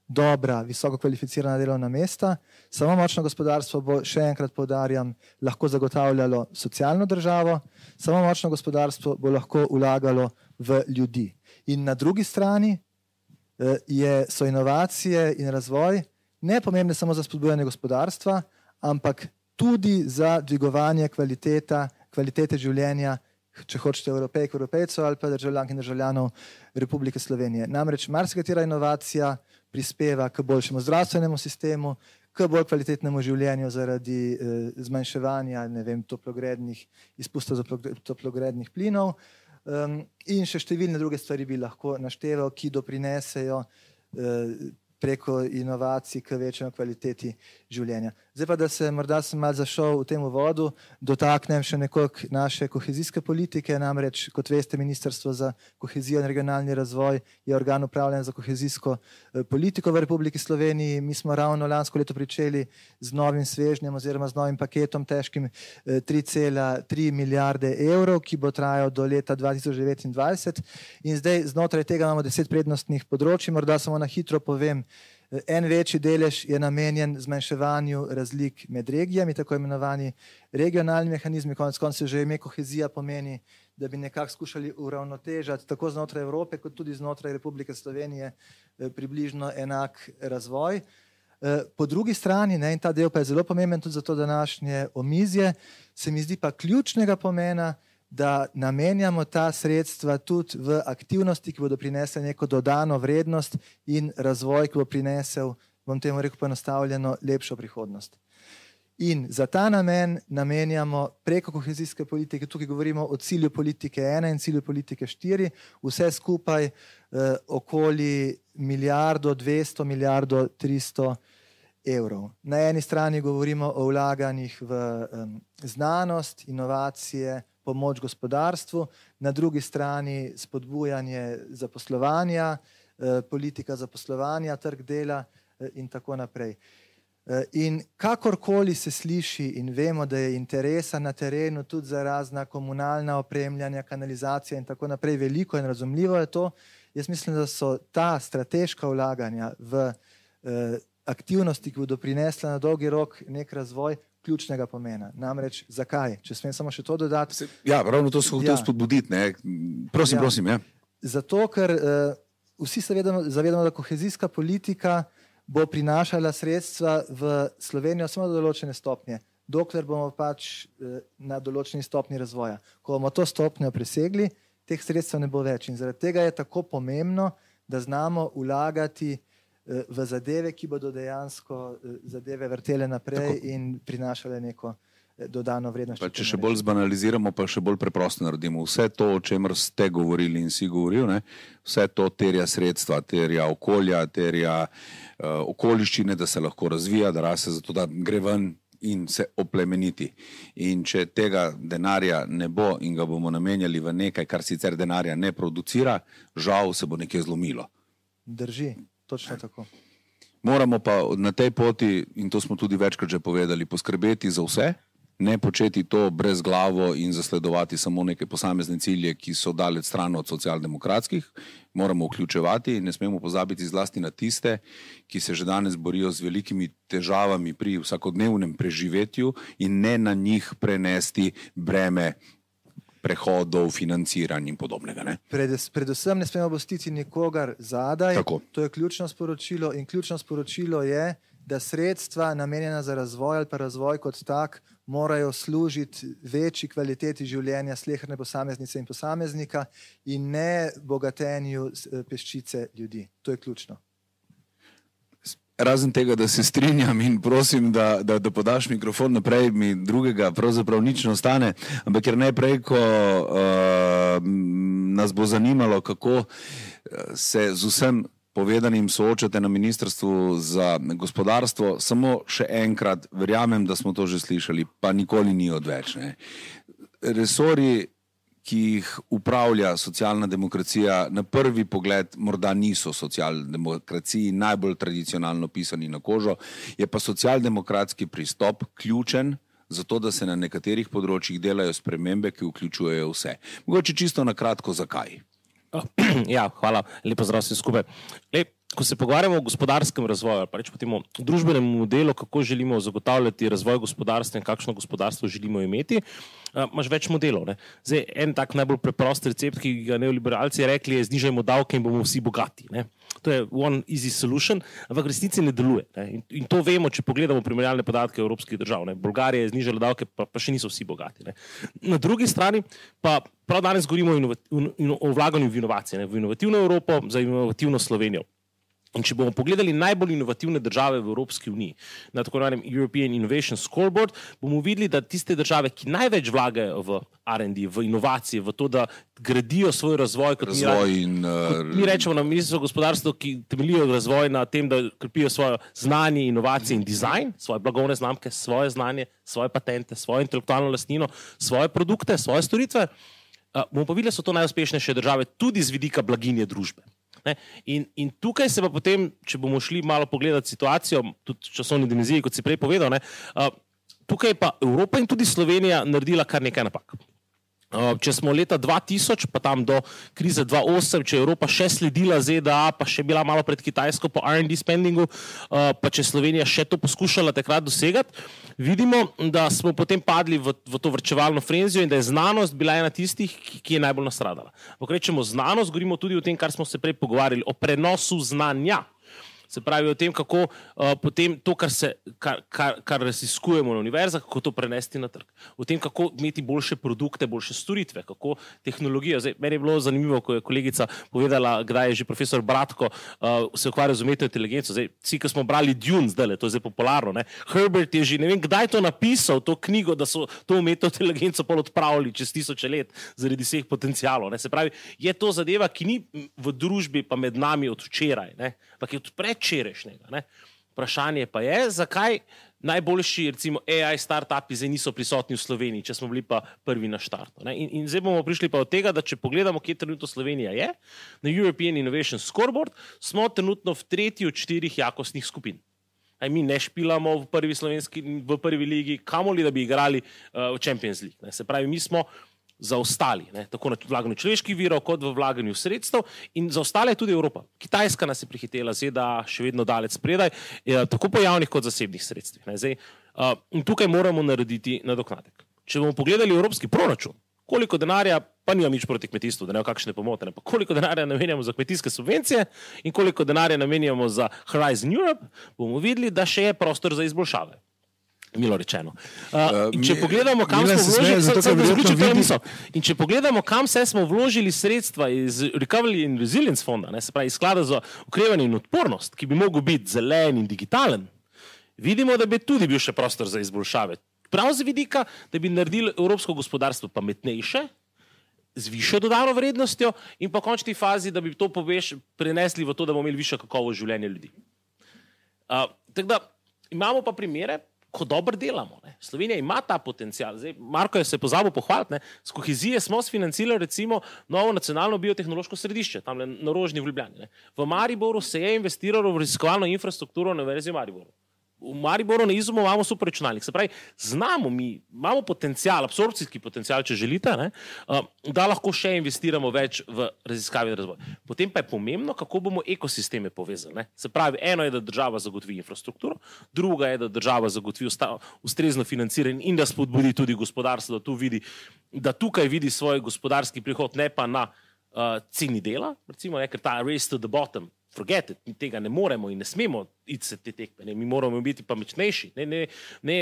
dobra, visoko kvalificirana delovna mesta, samo močno gospodarstvo bo, še enkrat poudarjam, lahko zagotavljalo socialno državo, samo močno gospodarstvo bo lahko vlagalo v ljudi. In na drugi strani eh, je, so inovacije in razvoj ne pomembne samo za spodbujanje gospodarstva, ampak tudi za dvigovanje kvaliteta, kvalitete življenja, če hočete Evropejk, Evropejcev ali pa državljank in državljanov Republike Slovenije. Namreč marsikatera inovacija prispeva k boljšemu zdravstvenemu sistemu, k bolj kvalitetnemu življenju zaradi eh, zmanjševanja ne vem, toplogrednih izpustov toplogrednih plinov um, in še številne druge stvari bi lahko našteval, ki doprinesejo eh, preko inovacij k večjemu kvaliteti življenja. Zdaj pa, da se morda sem malo zašel v tem uvodu, dotaknem še nekoliko naše kohezijske politike, namreč, kot veste, Ministrstvo za kohezijo in regionalni razvoj je organ upravljanja za kohezijsko politiko v Republiki Sloveniji. Mi smo ravno lansko leto pričeli z novim svežnjem oziroma z novim paketom težkim tri cela tri milijarde evrov, ki bo trajal do leta dva tisoč devetindvajset. In zdaj znotraj tega imamo deset prednostnih področij, morda samo na hitro povem. En večji delež je namenjen zmanjševanju razlik med regijami, tako imenovani regionalni mehanizmi, konec koncev že ime kohezija pomeni, da bi nekako skušali uravnotežati tako znotraj Evrope, kot tudi znotraj Republike Slovenije približno enak razvoj. Po drugi strani, ne, in ta del pa je zelo pomemben tudi za to današnje omizje, se mi zdi pa ključnega pomena, da namenjamo ta sredstva tudi v aktivnosti, ki bodo prinesle neko dodano vrednost in razvoj, ki bo prinesel, bom temu rekel poenostavljeno, lepšo prihodnost. In za ta namen namenjamo preko kohezijske politike, tukaj govorimo o cilju politike ena in cilju politike štiri, vse skupaj eh, okoli milijardo dvesto, milijardo tristo evrov. Na eni strani govorimo o vlaganjih v um, znanost, inovacije, pomoč gospodarstvu, na drugi strani spodbujanje zaposlovanja, eh, politika zaposlovanja, trg dela eh, in tako naprej. Eh, in kakorkoli se sliši in vemo, da je interesa na terenu tudi za razna komunalna opremljanja, kanalizacija in tako naprej veliko in razumljivo je to, jaz mislim, da so ta strateška vlaganja v eh, aktivnosti, ki bodo prinesla na dolgi rok nek razvoj, ključnega pomena. Namreč, zakaj? Če smem samo še to dodati. Ja, ravno to se hotel ja. spodbuditi. Ne? Prosim, ja. prosim. Ja. Zato, ker uh, vsi se vedemo, zavedamo, da kohezijska politika bo prinašala sredstva v Slovenijo samo do določene stopnje, dokler bomo pač uh, na določeni stopni razvoja. Ko bomo to stopnjo presegli, teh sredstev ne bo več. In zaradi tega je tako pomembno, da znamo vlagati v zadeve, ki bodo dejansko zadeve vrtele naprej tako. In prinašale neko dodano vrednost. Pa če še bolj zbanaliziramo, pa še bolj preprosto naredimo. Vse to, o čemer ste govorili in si govoril, ne, vse to terja sredstva, terja okolja, terja uh, okoliščine, da se lahko razvija, da raste, zato da gre ven in se oplemeniti. In če tega denarja ne bo in ga bomo namenjali v nekaj, kar sicer denarja ne producira, žal se bo nekaj zlomilo. Drži, točno tako. Moramo pa na tej poti, in to smo tudi večkrat že povedali, poskrbeti za vse, ne početi to brez glavo in zasledovati samo neke posamezne cilje, ki so daleč stran od socialdemokratskih. Moramo vključevati in ne smemo pozabiti zlasti na tiste, ki se že danes borijo z velikimi težavami pri vsakodnevnem preživetju in ne na njih prenesti breme prehodov, financiranj in podobnega. Ne? Pred, predvsem ne smemo pustiti nikogar zadaj. Tako. To je ključno sporočilo in ključno sporočilo je, da sredstva namenjena za razvoj ali pa razvoj kot tak morajo služiti večji kvaliteti življenja sleherne posameznice in posameznika in ne bogatenju peščice ljudi. To je ključno. Razen tega, da se strinjam in prosim, da, da, da podaš mikrofon naprej, mi drugega pravzaprav nič ne ostane, ampak ker najprej, ko uh, nas bo zanimalo, kako se z vsem povedanim soočate na Ministrstvu za gospodarstvo, samo še enkrat, verjamem, da smo to že slišali, pa nikoli ni odveč. Ne. Resori, ki jih upravlja socialna demokracija, na prvi pogled morda niso socialdemokraciji najbolj tradicionalno pisani na kožo, je pa socialdemokratski pristop ključen za to, da se na nekaterih področjih delajo spremembe, ki vključujejo vse. Mogoče čisto na kratko, zakaj? Ja, hvala, lepo zdrav vsi skupaj. Lep. Ko se pogovarjamo o gospodarskem razvoju, pa reč po temu družbenem modelu, kako želimo zagotavljati razvoj gospodarstva in kakšno gospodarstvo želimo imeti, uh, imaš več modelov. Ne? Zdaj, en tak najbolj preprost recept, ki ga neoliberalci rekli, je znižajmo davke in bomo vsi bogati. Ne? To je one easy solution, ampak v resnici ne deluje. Ne? In, in to vemo, če pogledamo primerjalne podatke evropskih držav. Ne? Bolgarija je znižala davke, pa, pa še niso vsi bogati. Ne? Na drugi strani pa prav danes govorimo o, inovat, o, o vlaganju v inovacije, ne? V inovativno Evropo, za inovativno Slovenijo. In če bomo pogledali najbolj inovativne države v Evropski uniji, na tako imenovanem European Innovation Scoreboard, bomo videli, da tiste države, ki največ vlagajo v R and D, v inovacije, v to, da gradijo svoj razvoj, kot razvoj mi, in, kot mi rečemo na Ministrstvu gospodarstva, ki temeljijo razvoj na tem, da krepijo svoje znanje, inovacije in dizajn, svoje blagovne znamke, svoje znanje, svoje patente, svojo intelektualno lastnino, svoje produkte, svoje storitve, bomo pa videli, da so to najuspešnejše države tudi z vidika blaginje družbe. In, in tukaj se pa potem, če bomo šli malo pogledati situacijo, tudi časovni dimenziji, kot si prej povedal, ne, tukaj pa Evropa in tudi Slovenija naredila kar nekaj napak. Če smo leta dva tisoč, pa tam do krize dva tisoč osem, če je Evropa še sledila Z D A, pa še bila malo pred Kitajsko po R and D spendingu, pa če Slovenija še to poskušala takrat dosegati, vidimo, da smo potem padli v, v to vrčevalno frenzijo in da je znanost bila ena tistih, ki, ki je najbolj nastradala. Ko rečemo znanost, govorimo tudi o tem, kar smo se prej pogovarjali, o prenosu znanja. Se pravi o tem, kako uh, potem to, kar, se, kar, kar, kar raziskujemo na univerzah, kako to prenesti na trg. O tem, kako imeti boljše produkte, boljše storitve, kako tehnologijo. Zdaj, meni je bilo zanimivo, ko je kolegica povedala, kdaj je že profesor Bratko uh, se ukvarjal z umetno inteligenco. Zdaj, vsi, ko smo brali Dune, zdaj, to je zdaj popularno, ne? Herbert je že, ne vem, kdaj to napisal, to knjigo, da so to umetno inteligenco pol odpravili čez tisoče let zaradi vseh potencialov. Ne? Se pravi, je to zadeva, ki ni v družbi pa med nami od včeraj, ne? Ampak je od predčerajšnjega. Ne? Vprašanje pa je, zakaj najboljši, recimo, A I startupi zdaj niso prisotni v Sloveniji, če smo bili pa prvi na štartu. Ne? In, in zdaj bomo prišli pa od tega, da če pogledamo, kje trenutno Slovenija je, na European Innovation Scoreboard, smo trenutno v tretji od štirih jakostnih skupin. Aj, mi ne špilamo v prvi slovenski, v prvi ligi, kamoli, da bi igrali uh, v Champions League. Ne? Se pravi, mi smo zaostali, ne? Tako na vlaganju človeških virov, kot v vlaganju sredstev in zaostala je tudi Evropa. Kitajska nas je prihitela, Z D A še vedno daleč spredaj, tako po javnih kot zasebnih sredstvih. Ne? Zdaj, uh, in tukaj moramo narediti nadoknadek. Če bomo pogledali evropski proračun, koliko denarja, pa nimam nič proti kmetijstvu, da ne v kakšne pomote, ne? Pa koliko denarja namenjamo za kmetijske subvencije in koliko denarja namenjamo za Horizon Europe, bomo videli, da še je prostor za izboljšave. Milo rečeno. Uh, in če pogledamo, kam smo vložili, zato, se, se in če pogledamo, kam se smo vložili sredstva iz Recovery and Resilience fonda, ne, se pravi iz sklada za okrevanje in odpornost, ki bi mogel biti zelen in digitalen, vidimo, da bi tudi bil še prostor za izboljšave. Prav z vidika, da bi naredili evropsko gospodarstvo pametnejše, z višjo dodano vrednostjo in pa v končni fazi, da bi to poveš, prenesli v to, da bomo imeli višjo kakovost življenja ljudi. Uh, tako da imamo pa primere, ko dobro delamo. Ne. Slovenija ima ta potencial. Zdaj, Marko je se pozabil pohvaliti, ne. Z kohezije smo sfinancirali recimo novo nacionalno biotehnološko središče, tam na Rožni v Ljubljani. Ne. V Mariboru se je investiralo v raziskovalno infrastrukturo na Univerzi v Mariboru. V Mariboru na Izumu imamo super računalnik. Se pravi, znamo mi, imamo potencial, absorpcijski potencial, če želite, ne, da lahko še investiramo več v raziskave in razvoj. Potem pa je pomembno, kako bomo ekosisteme povezali. Ne. Se pravi, eno je, da država zagotovi infrastrukturo, druga je, da država zagotovi ustrezno financiranje in da spodbudi tudi gospodarstvo, da, tu vidi, da tukaj vidi svoj gospodarski prihod, ne pa na uh, ceni dela, recimo, ne, ker ta race to the bottom, forget it, mi tega ne moremo in ne smemo iti se te tekme, ne? Mi moramo biti pa močnejši. Ne, ne, ne,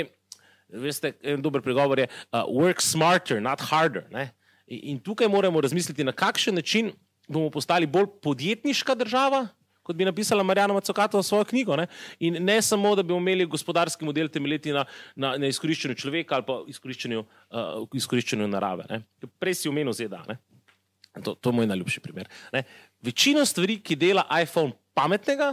veste, en dober pregovor je uh, work smarter, not harder. Ne? In, in tukaj moramo razmisliti, na kakšen način bomo postali bolj podjetniška država, kot bi napisala Marjana Macokatova svojo knjigo. Ne? In ne samo, da bi imeli gospodarski model temeljiti na, na, na izkoriščenju človeka ali pa izkoriščenju, uh, izkoriščenju narave. Ne? Prej si omenil Z D A. Ne? To, to je moj najljubši primer. Ne? Večino stvari, ki dela iPhone pametnega,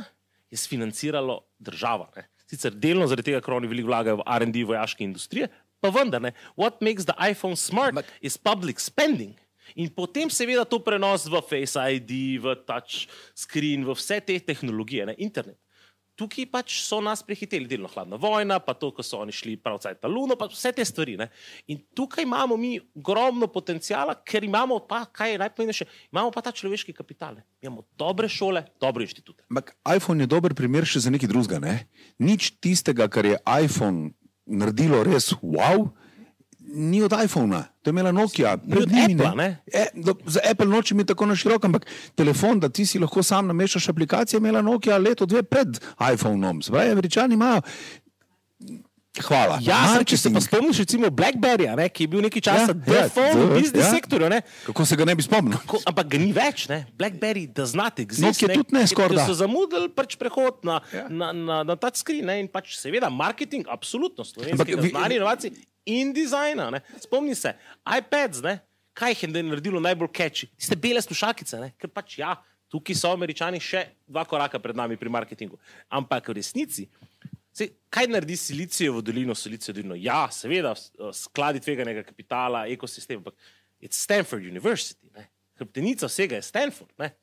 je sfinanciralo država. Ne? Sicer delno zaradi tega, ker oni veliko vlagajo v R and D vojaške industrije, pa vendar, ne? What makes the iPhone smart But... is public spending. In potem seveda to prenos v Face I D, v touch screen, v vse te tehnologije, ne? Internet. Tukaj pač so nas prehiteli, delno hladna vojna, pa to, ko so oni šli prav cajt na Luno, pa vse te stvari. Ne? In tukaj imamo mi ogromno potencijala, ker imamo pa, kaj je najpomembnejše, imamo pa ta človeški kapital. Ne? Imamo dobre šole, dobre inštitute. Ampak iPhone je dober primer še za nekaj drugega. Ne? Nič tistega, kar je iPhone naredilo res wow, ni od iPhona. To je imela Nokia. Pred njimi, Apple, ne? E, do, za Apple noče mi tako na široko, ampak telefon, da ti si lahko sam namešaš aplikacije, imela Nokia leto, dve pred iPhoneom. Zdaj, Američani imajo. Hvala. Ja, sem, če se pa spomniš recimo Blackberryja, ne, ki je bil nekaj časa ja, telefon ja, v biznis ja. sektorju. Ne. Kako se ga ne bi spomnil? Kako, ampak ga ni več. Ne. Blackberry does not exist. Nokia ne, tudi ne skorda. Ker so zamudili pač prehod na, ja. na, na, na touchscreen ne, in pač seveda marketing, absolutno, slovenskega znanja, inovacij in dizajna. Ne. Spomni se, iPads, ne, kaj jih je naredilo najbolj catchy? Tiste bele slušalkice, ne, ker pač ja, tukaj so Američani še dva koraka pred nami pri marketingu. Ampak v resnici, Sej, kaj naredi Silicijevo dolino, Silicijevo dolino? Ja, seveda, skladi tveganega kapitala, ekosistem, ampak je Stanford University. Ne? Hrbtenica vsega je Stanford. Ne?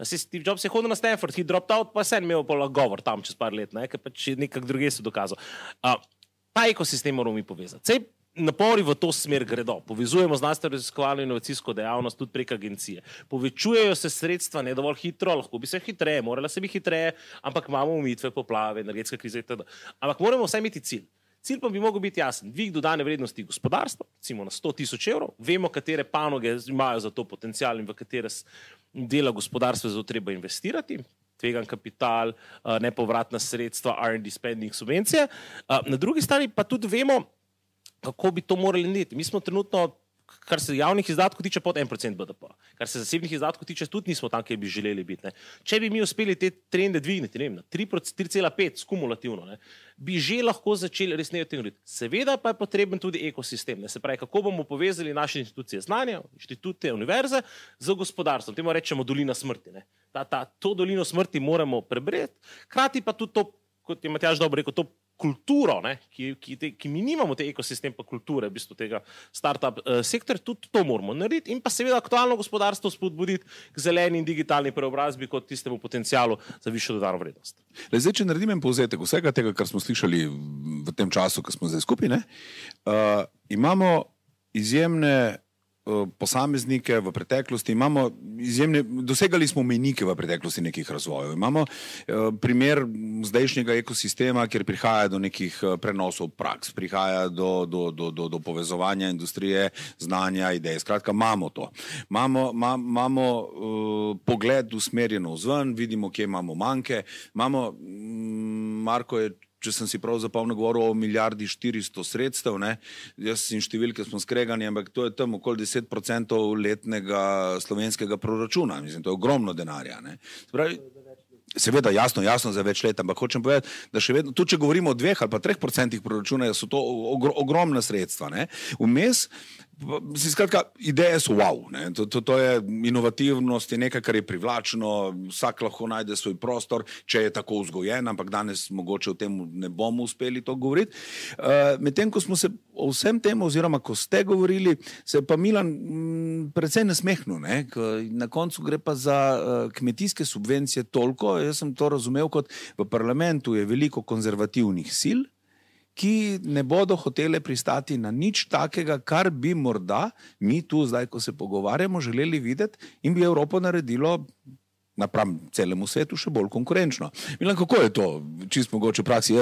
Steve Jobs je hodil na Stanford, he dropped out, pa sem imel pol govor tam čez par let, ne? Ker pač nekak druge so dokazal. Uh, ta ekosistem moramo mi povezati. Sej, napori v to smer gredo. Povezujemo znanstveno raziskovalno inovacijsko dejavnost tudi prek agencije. Povečujejo se sredstva ne dovolj hitro, lahko bi se hitreje, morala se bi hitreje, ampak imamo omejitve, poplave, energetska kriza itd. Ampak moramo vsaj imeti cilj. Cilj pa bi mogel biti jasen. Dvig dodane vrednosti gospodarstva, recimo na sto tisoč evrov, vemo, katere panoge imajo za to potencial in v katere dela gospodarstva za to treba investirati, tvegan kapital, nepovratna sredstva, R and D spending, subvencije. Na drugi strani pa tudi vemo, kako bi to morali narediti. Mi smo trenutno, kar se javnih izdatkov tiče, pod en procent B D P. Kar se zasebnih izdatkov tiče, tudi nismo tam, kjer bi želeli biti. Ne. Če bi mi uspeli te trende dvigniti, ne vem, na tri cela pet skumulativno, ne, bi že lahko začeli resneje o tem govoriti. Seveda pa je potreben tudi ekosistem. Ne. Se pravi, kako bomo povezali naše institucije znanja, inštitute, univerze z gospodarstvom. Temu rečemo dolina smrti. Ne. Ta, ta, to dolino smrti moramo prebreti, hkrati pa tudi to, kot je Matjaž dobro rekel, to kulturo, ne, ki, ki, te, ki mi nimamo te ekosistem pa kulture, v bistvu tega startup uh, sektor, tudi to moramo narediti in pa seveda aktualno gospodarstvo spodbuditi k zeleni in digitalni preobrazbi kot tistemu potencialu za višjo dodano vrednost. Le zdaj, če naredim en povzetek vsega tega, kar smo slišali v tem času, ko smo zdaj skupaj, ne, uh, imamo izjemne posameznike v preteklosti, imamo izjemne, dosegali smo mejnike v preteklosti nekih razvojev. Imamo eh, primer zdajšnjega ekosistema, kjer prihaja do nekih prenosov praks, prihaja do, do, do, do, do povezovanja industrije, znanja, ideje. Skratka, imamo to. Imamo, ma, imamo uh, pogled usmerjeno vzven, vidimo, kje imamo manjke. Imamo, mm, Marko je če sem si prav zapomnil, govoril o milijardi štiristo sredstev, ne? Jaz in številke smo skregani, ampak to je tam okoli deset procentov letnega slovenskega proračuna. Mislim, to je ogromno denarja. Ne? Spravi, Seveda, jasno, jasno za več let, ampak hočem povedati, da še vedno, tudi če govorimo o dveh ali pa treh procentih proračuna, so to ogr ogromna sredstva. Ne? Vmes, skratka, ideje so wow, ne? To, to, to je inovativnost, je nekaj, kar je privlačno, vsak lahko najde svoj prostor, če je tako vzgojen, ampak danes mogoče o tem ne bomo uspeli to govoriti. Uh, Medtem, ko smo se o vsem tem, oziroma ko ste govorili, se je pa Milan m, precej nasmehnil, ne? Na koncu gre pa za uh, kmetijske subvencije toliko. Jaz sem to razumel kot v parlamentu je veliko konzervativnih sil, ki ne bodo hotele pristati na nič takega, kar bi morda mi tu zdaj, ko se pogovarjamo, želeli videti in bi Evropo naredilo napram celemu svetu še bolj konkurenčno. Milan, kako je to čisto mogoče v praksi?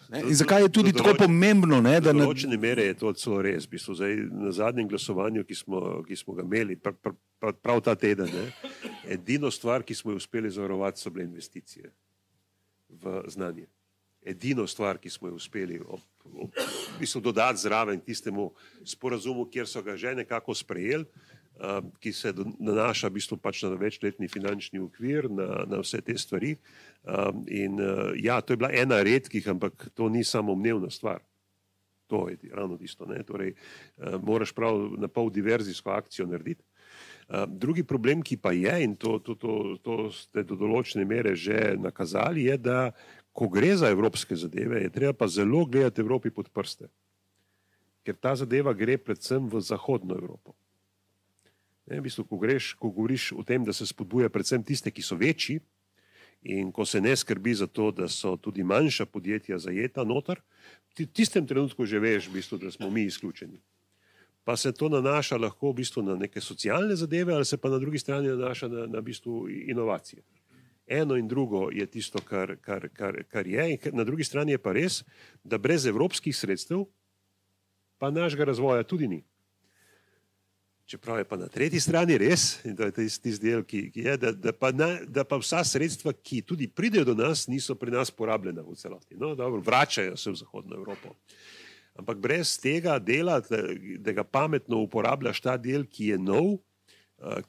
Ne? In zakaj je tudi tako pomembno? Ne, da v določene mere je to celo res. V bistvu, zdaj, na zadnjem glasovanju, ki smo, ki smo ga imeli, prav, prav, prav ta teden, ne, edino stvar, ki smo jo uspeli zavarovati, so bile investicije v znanje. Edino stvar, ki smo jo uspeli ob, ob, v bistvu, dodati zraven tistemu sporazumu, kjer so ga že nekako sprejeli, uh, ki se nanaša v bistvu pač na večletni finančni okvir, na, na vse te stvari. Um, in uh, ja, to je bila ena redkih, ampak to ni samoumevna stvar. To je ravno tisto. Ne? Torej, uh, moraš prav na pol diverzijsko akcijo narediti. Uh, drugi problem, ki pa je, in to, to, to, to ste do določene mere že nakazali, je, da ko gre za evropske zadeve, je treba pa zelo gledati Evropi pod prste. Ker ta zadeva gre predvsem v zahodno Evropo. Ne, v bistvu, ko, greš, ko govoriš o tem, da se spodbuja predvsem tiste, ki so večji, in ko se ne skrbi za to, da so tudi manjša podjetja zajeta noter, v tistem trenutku že veš, v bistvu, da smo mi izključeni. Pa se to nanaša lahko v bistvu na neke socialne zadeve, ali se pa na drugi strani nanaša na, na v bistvu inovacije. Eno in drugo je tisto, kar, kar, kar, kar je, in na drugi strani je pa res, da brez evropskih sredstev pa našega razvoja tudi ni. Čeprav je pa na tretji strani res, in to je tisti del, ki, ki je, da, da, pa na, da pa vsa sredstva, ki tudi pridejo do nas, niso pri nas porabljena v celoti. No, dobro, vračajo se v zahodno Evropo. Ampak brez tega dela, da, da ga pametno uporabljaš ta del, ki je nov,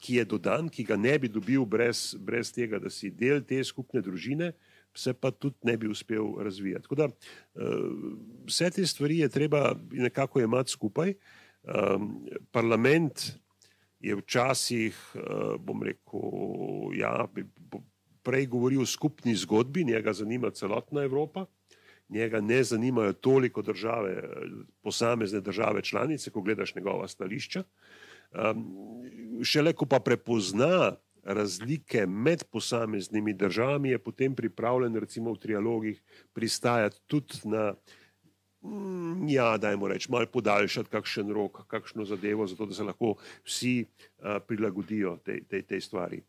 ki je dodan, ki ga ne bi dobil brez, brez tega, da si del te skupne družine, se pa tudi ne bi uspel razvijati. Tako da vse te stvari je treba nekako imati skupaj. Um, parlament je včasih, uh, bom rekel, ja, prej govoril o skupni zgodbi, njega zanima celotna Evropa, njega ne zanimajo toliko države, posamezne države članice, ko gledaš njegova stališča. Um, šele ko pa prepozna razlike med posameznimi državami, je potem pripravljen recimo v trialogih pristajati tudi na ja, dajmo reči, malo podaljšati kakšen rok, kakšno zadevo, zato da se lahko vsi uh, prilagodijo tej, tej, tej stvari.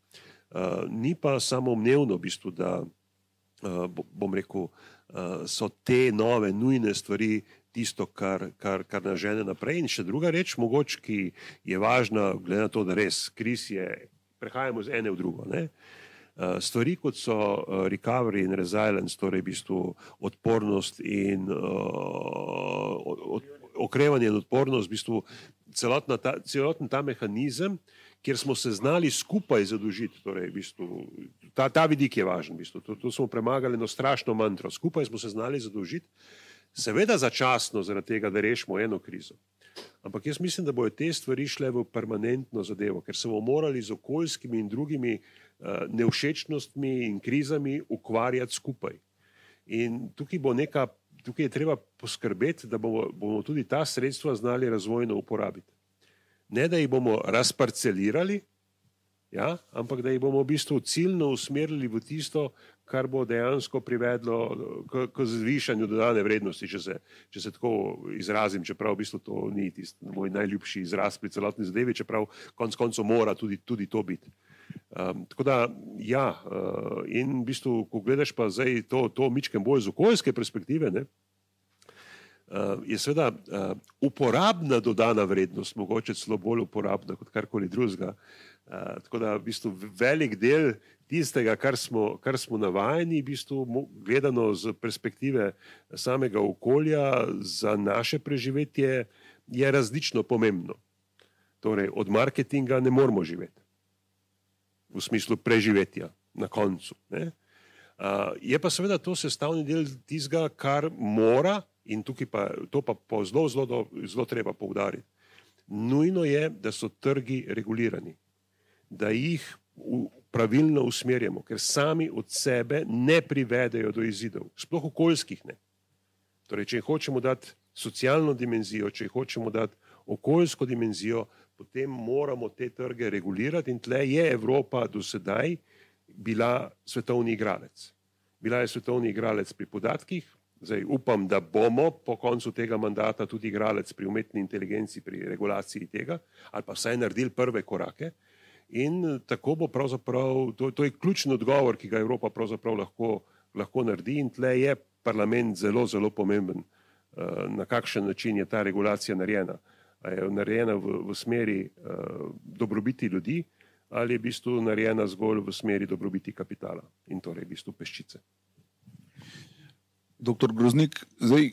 Uh, ni pa samoumevno v bistvu, da uh, bom rekel, uh, so te nove, nujne stvari tisto, kar, kar, kar nas žene naprej. In še druga reč, mogoče, ki je važna, glede na to, da res kriz je, prehajamo z ene v drugo, ne? Stvari, kot so recovery in resilience, torej v bistvu odpornost in uh, od, okrevanje in odpornost, v bistvu celotna ta, celoten ta mehanizem, kjer smo se znali skupaj zadolžiti, torej v bistvu, ta, ta vidik je važen, v bistvu, to, to smo premagali eno strašno mantro, skupaj smo se znali zadolžiti, seveda začasno zaradi tega, da rešimo eno krizo. Ampak jaz mislim, da bojo te stvari šle v permanentno zadevo, ker se bomo morali z okoljskimi in drugimi uh, nevšečnostmi in krizami ukvarjati skupaj. In tukaj bo neka, tukaj je treba poskrbeti, da bomo, bomo tudi ta sredstva znali razvojno uporabiti. Ne, da jih bomo razparcelirali, ja, ampak da jih bomo v bistvu ciljno usmerili v tisto, kar bo dejansko privedlo k, k zvišanju dodane vrednosti, če se, če se tako izrazim, čeprav v bistvu to ni tisti moj najljubši izraz pri celotni zadevi, čeprav konec koncev mora tudi, tudi to biti. Um, tako da, ja, uh, in v bistvu, ko gledaš pa zdaj to, to mičkem bolj z okoljske perspektive, ne, uh, je seveda uh, uporabna dodana vrednost, mogoče celo bolj uporabna kot karkoli drugega. Uh, tako da v bistvu velik del tistega, kar smo, kar smo navajeni, v bistvu gledano z perspektive samega okolja za naše preživetje, je različno pomembno. Torej, od marketinga ne moramo živeti. v smislu preživetja na koncu. Ne? Uh, je pa seveda to sestavni del tistega, kar mora, in tukaj pa to pa po zelo, zelo, zelo treba poudariti. Nujno je, da so trgi regulirani, da jih v, pravilno usmerjamo, ker sami od sebe ne privedejo do izidov, sploh okoljskih ne. Torej, če hočemo dati socialno dimenzijo, če hočemo dati okoljsko dimenzijo, potem moramo te trge regulirati in tle je Evropa do sedaj bila svetovni igralec. Bila je svetovni igralec pri podatkih, zdaj upam, da bomo po koncu tega mandata tudi igralec pri umetni inteligenci, pri regulaciji tega, ali pa vsaj naredili prve korake in tako bo pravzaprav, to, to je ključni odgovor, ki ga Evropa pravzaprav lahko, lahko naredi in tle je parlament zelo, zelo pomemben, na kakšen način je ta regulacija narejena. A je narejena v, v smeri uh, dobrobiti ljudi ali je v bistvu narejena zgolj v smeri dobrobiti kapitala in torej v bistvu peščice. Doktor Groznik, zdaj,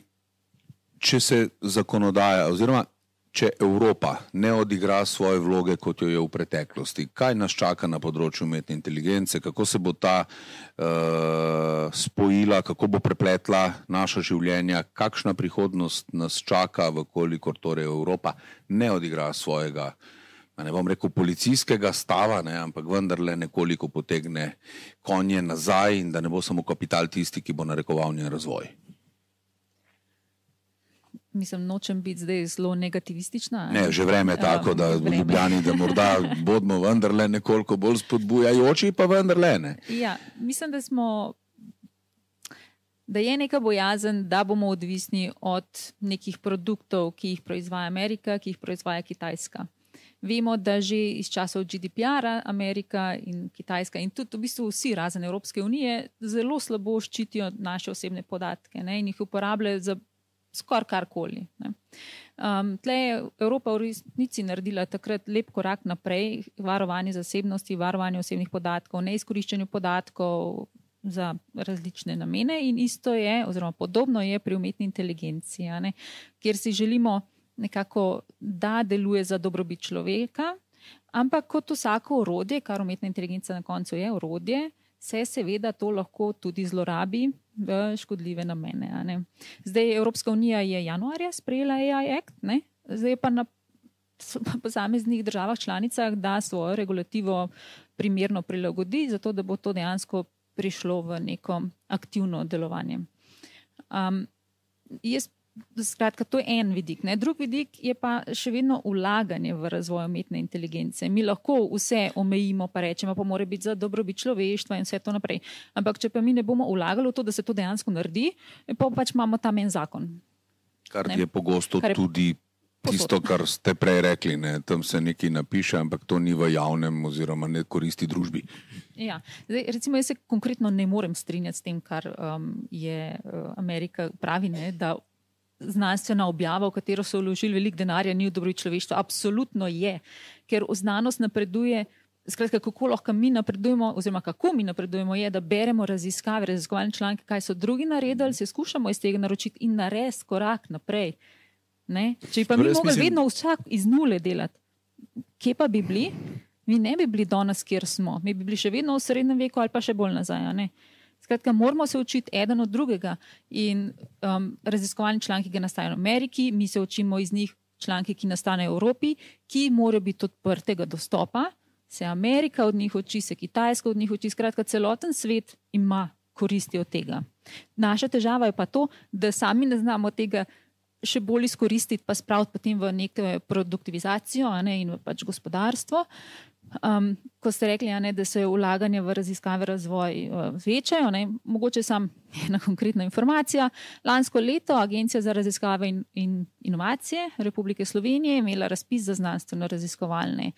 če se zakonodaja oziroma če Evropa ne odigra svoje vloge, kot jo je v preteklosti, kaj nas čaka na področju umetne inteligence, kako se bo ta uh, spojila, kako bo prepletla naša življenja, kakšna prihodnost nas čaka, vkolikor torej Evropa ne odigra svojega, ne bom rekel policijskega stava, ne, ampak vendarle nekoliko potegne konje nazaj in da ne bo samo kapital tisti, ki bo narekoval njen razvoj. Mislim, nočem biti zdaj zelo negativistična. Ne, že vreme je tako, da v Ljubljani, da morda bodimo vendarle nekoliko bolj spodbujajoči, pa vendarle ne. Ja, mislim, da smo, da je neka bojazen, da bomo odvisni od nekih produktov, ki jih proizvaja Amerika, ki jih proizvaja Kitajska. Vemo, da že iz časov G D P R-a Amerika in Kitajska in tudi v bistvu vsi razen Evropske unije zelo slabo ščitijo naše osebne podatke, ne, in jih uporabljajo za skoraj karkoli. Um, tle je Evropa v resnici naredila takrat lep korak naprej, varovanje zasebnosti, varovanje osebnih podatkov, neizkoriščanju podatkov za različne namene in isto je, oziroma podobno je pri umetni inteligenciji, ne, kjer si želimo nekako, da deluje za dobrobit človeka, ampak kot vsako orodje, kar umetna inteligenca na koncu je orodje, se seveda to lahko tudi zlorabi v škodljive namene. Ne. Zdaj Evropska unija je januarja sprejela A I Act, ne. Zdaj pa na posameznih državah članicah, da svojo regulativo primerno prilagodi, zato da bo to dejansko prišlo v neko aktivno delovanje. Um, jaz Skratka, to je en vidik. Ne? Drug vidik je pa še vedno vlaganje v razvoj umetne inteligence. Mi lahko vse omejimo, pa rečemo, pa mora biti za dobrobit človeštva in vse to naprej. Ampak če pa mi ne bomo vlagali v to, da se to dejansko naredi, pa pač imamo tam en zakon. Kar ne? je pogosto Kar je tudi tisto, kar ste prej rekli. Ne? Tam se nekaj napiše, ampak to ni v javnem oziroma ne koristi družbi. Ja. Zdaj, recimo, jaz se konkretno ne morem strinjati s tem, kar um, je uh, Amerika pravi, ne? Da znanstvena objava, v katero so vložili veliko denarja, ni v dobrobit človeštva. Absolutno je, ker znanost napreduje. Skratka, kako lahko mi napredujemo, oziroma kako mi napredujemo, je, da beremo raziskave, raziskovalne članke, kaj so drugi naredili, se skušamo iz tega naročiti in narediti korak naprej. Ne? Če pa mi mogli vedno vsak iz nule delati, kje pa bi bili? Mi ne bi bili danes, kjer smo. Mi bi bili še vedno v srednjem veku ali pa še bolj nazaj. Ne? Skratka, moramo se učiti eden od drugega in um, raziskovalni članki, ki nastajajo v Ameriki, mi se učimo iz njih članki, ki nastanejo v Evropi, ki morajo biti odprtega dostopa, se Amerika od njih uči, se Kitajska od njih uči, skratka, celoten svet ima koristi od tega. Naša težava je pa to, da sami ne znamo tega še bolj izkoristiti, pa spraviti potem v neko produktivizacijo, a ne, in v pač gospodarstvo. Um, ko ste rekli, ne, da se vlaganje v raziskave razvoj uh, večajo, ne, mogoče sam ena konkretna informacija. Lansko leto Agencija za raziskave in, in inovacije Republike Slovenije je imela razpis za znanstveno raziskovalne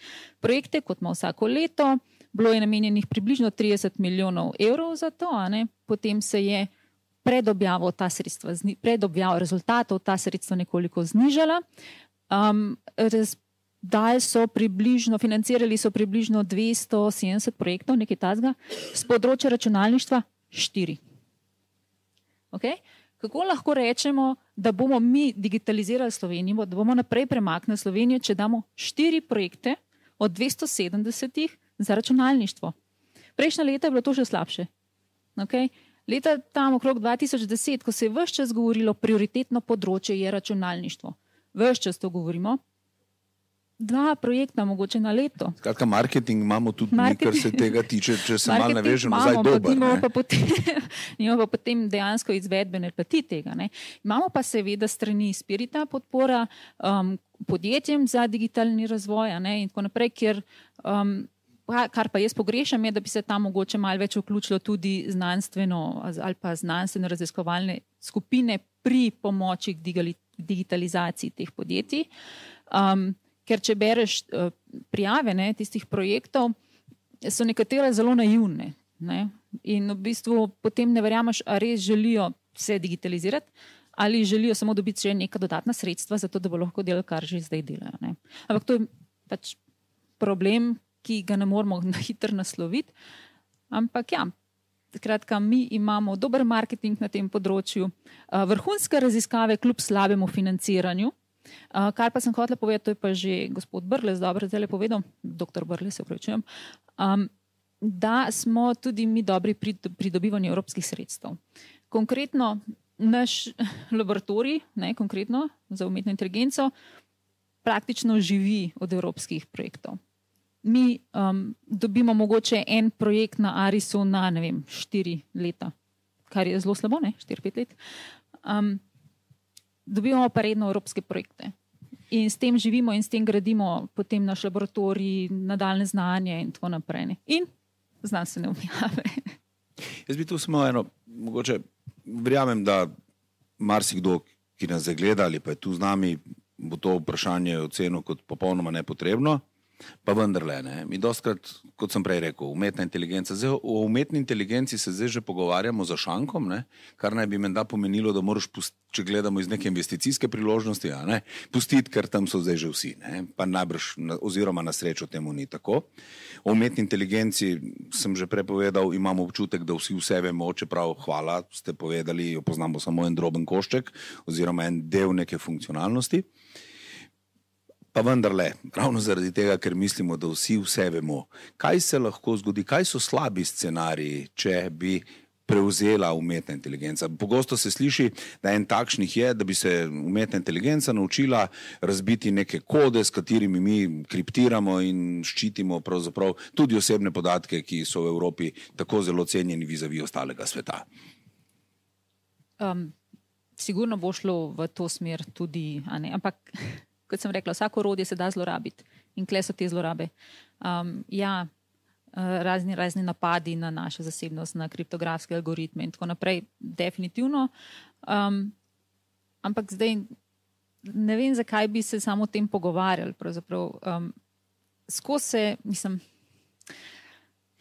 projekte, kot ima vsako leto. Bilo je namenjenih približno trideset milijonov evrov za to, a ne, potem se je pred objavo ta sredstva, pred objavo rezultatov ta sredstva nekoliko znižala. Um, raz, Dali so približno, financirali so približno dvesto sedemdeset projektov, nekaj tazga, z področja računalništva štiri. Okay? Kako lahko rečemo, da bomo mi digitalizirali Slovenijo, da bomo naprej premaknili Slovenijo, če damo štiri projekte od dvesto sedemdesetih za računalništvo. Prejšnja leta je bilo to še slabše. Okay? Leta tam okrog dva tisoč deset, ko se je vse čas govorilo, prioritetno področje je računalništvo. Vse čas to govorimo. Dva projekta mogoče na leto. Skratka, marketing imamo tudi Marketing- mi, kar se tega tiče, če se malo Marketing navežemo, imamo, zdaj pa dober. nimamo ne. pa potem, nimamo pa potem dejansko izvedbene plati tega. Ne. Imamo pa seveda strani Spirita podpora um, podjetjem za digitalni razvoj, a ne, in tako naprej, ker um, pa- kar pa jaz pogrešam je, da bi se tam mogoče malo več vključilo tudi znanstveno ali pa znanstveno raziskovalne skupine pri pomoči k digali- digitalizaciji teh podjetij. Um, Ker če bereš uh, prijave ne, tistih projektov, so nekatere zelo naivne. Ne? In v bistvu potem ne verjameš, a res želijo se digitalizirati ali želijo samo dobiti še neka dodatna sredstva, zato da bo lahko delali, kar že zdaj delajo. Ne? Ampak to je pač problem, ki ga ne moramo na hitro nasloviti. Ampak ja, skratka, mi imamo dober marketing na tem področju, uh, vrhunske raziskave kljub slabemu financiranju. Uh, kar pa sem hotela povedati, to je pa že gospod Brles dobro zdaj povedal, doktor Brles, se upravičujem, um, da smo tudi mi dobri pri pridobivanju evropskih sredstev. Konkretno naš laboratorij, ne, konkretno za umetno inteligenco, praktično živi od evropskih projektov. Mi um, dobimo mogoče en projekt na Arisu na, ne vem, štiri leta, kar je zelo slabo, ne, štiri, pet let. Um, Dobivamo pa redno evropske projekte in s tem živimo in s tem gradimo potem naš laboratorij, nadaljne znanje in tako naprej. Ne. In znanstvene objave. Jaz bi tu samo eno, mogoče verjamem, da marsikdo, ki nas zdaj gleda ali pa je tu z nami, bo to vprašanje ocenil kot popolnoma nepotrebno, pa vendarle ne. Mi dostkrat, kot sem prej rekel, umetna inteligenca. Zdaj, o umetni inteligenci se zdaj že pogovarjamo za šankom, ne, kar naj bi menda pomenilo, da moraš, pust, če gledamo iz neke investicijske priložnosti, a ne, pustiti, ker tam so zdaj že vsi, ne, pa najbrž, oziroma na srečo temu ni tako. O umetni inteligenci sem že prepovedal, imamo občutek, da vsi vse vemo, čeprav hvala, ste povedali, jo poznamo samo en droben košček oziroma en del neke funkcionalnosti. Pa vendarle, ravno zaradi tega, ker mislimo, da vsi vse vemo, kaj se lahko zgodi, kaj so slabi scenariji, če bi prevzela umetna inteligenca. Pogosto se sliši, da en takšnih je, da bi se umetna inteligenca naučila razbiti neke kode, s katerimi mi kriptiramo in ščitimo pravzaprav tudi osebne podatke, ki so v Evropi tako zelo cenjeni vizavi ostalega sveta. Um, sigurno bo šlo v to smer tudi, a ne, ampak kot sem rekla, vsako orodje se da zlorabiti in kle so te zlorabe. Um, ja, razni, razni napadi na našo zasebnost, na kriptografske algoritme in tako naprej, definitivno. Um, ampak zdaj ne vem, zakaj bi se samo o tem pogovarjali. Pravzaprav um, skozi se, mislim...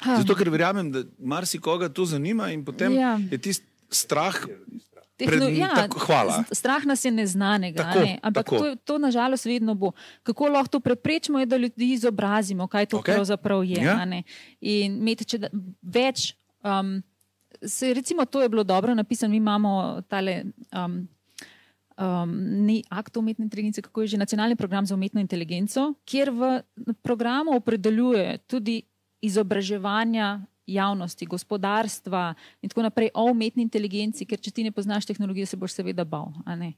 Um, Zato, ker verjamem, da marsikoga to zanima in potem ja. je tisti strah... Tehno, ja, tako, hvala. Strah nas je neznanega, Tako, ne? Ampak tako. to, to nažalost vedno bo. Kako lahko to preprečimo, je, da ljudi izobrazimo, kaj to Okay. pravzaprav je. Ja. A ne? In imeti, če da, več, um, se, recimo to je bilo dobro napisano, mi imamo tale um, um, ni akt o umetni inteligenci, kako je že nacionalni program za umetno inteligenco, kjer v programu opredeljuje tudi izobraževanja javnosti, gospodarstva in tako naprej o umetni inteligenci, ker če ti ne poznaš tehnologije, se boš seveda bal. A ne?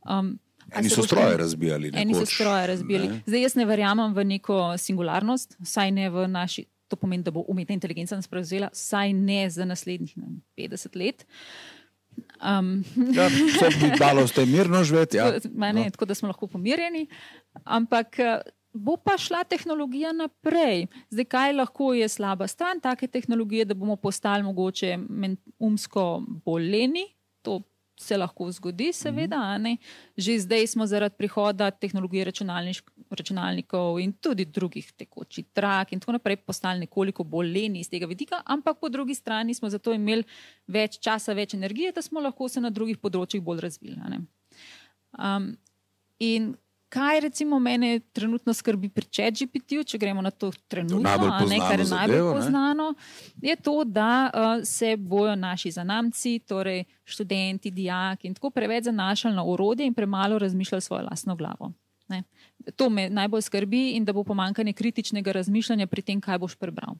Um, a Eni se so boš- stroje razbijali. Eni so nekoč, stroje razbijali. ne. Zdaj jaz ne verjamem v neko singularnost, saj ne v naši, to pomeni, da bo umetna inteligenca nas prevzela, saj ne za naslednjih ne, vem, petdeset let. Um, Ja, so bi dalo ste mirno živeti. Ja. Ma ne, tako da smo lahko pomirjeni, ampak eh, bo pa šla tehnologija naprej. Zdaj, kaj lahko je slaba stran take tehnologije, da bomo postali mogoče men- umsko boleni, to se lahko zgodi, seveda. A ne? Že zdaj smo zaradi prihoda tehnologije računalnišk- računalnikov in tudi drugih tekočih trak in tako naprej postali nekoliko bolj leni iz tega vidika, ampak po drugi strani smo zato imeli več časa, več energije, da smo lahko se na drugih področjih bolj razvili. A ne? Um, in kaj recimo mene trenutno skrbi pri ChatGPT-ju, če gremo na to trenutno, najbolj a ne, kar je poznano najbolj zadevo, ne? poznano, je to, da uh, se bojo naši zanamci, torej študenti, dijaki in tako preveč zanašali na orodje in premalo razmišljali svojo lastno glavo. Ne. to me najbolj skrbi in da bo pomanjkanje kritičnega razmišljanja pri tem, kaj boš prebral.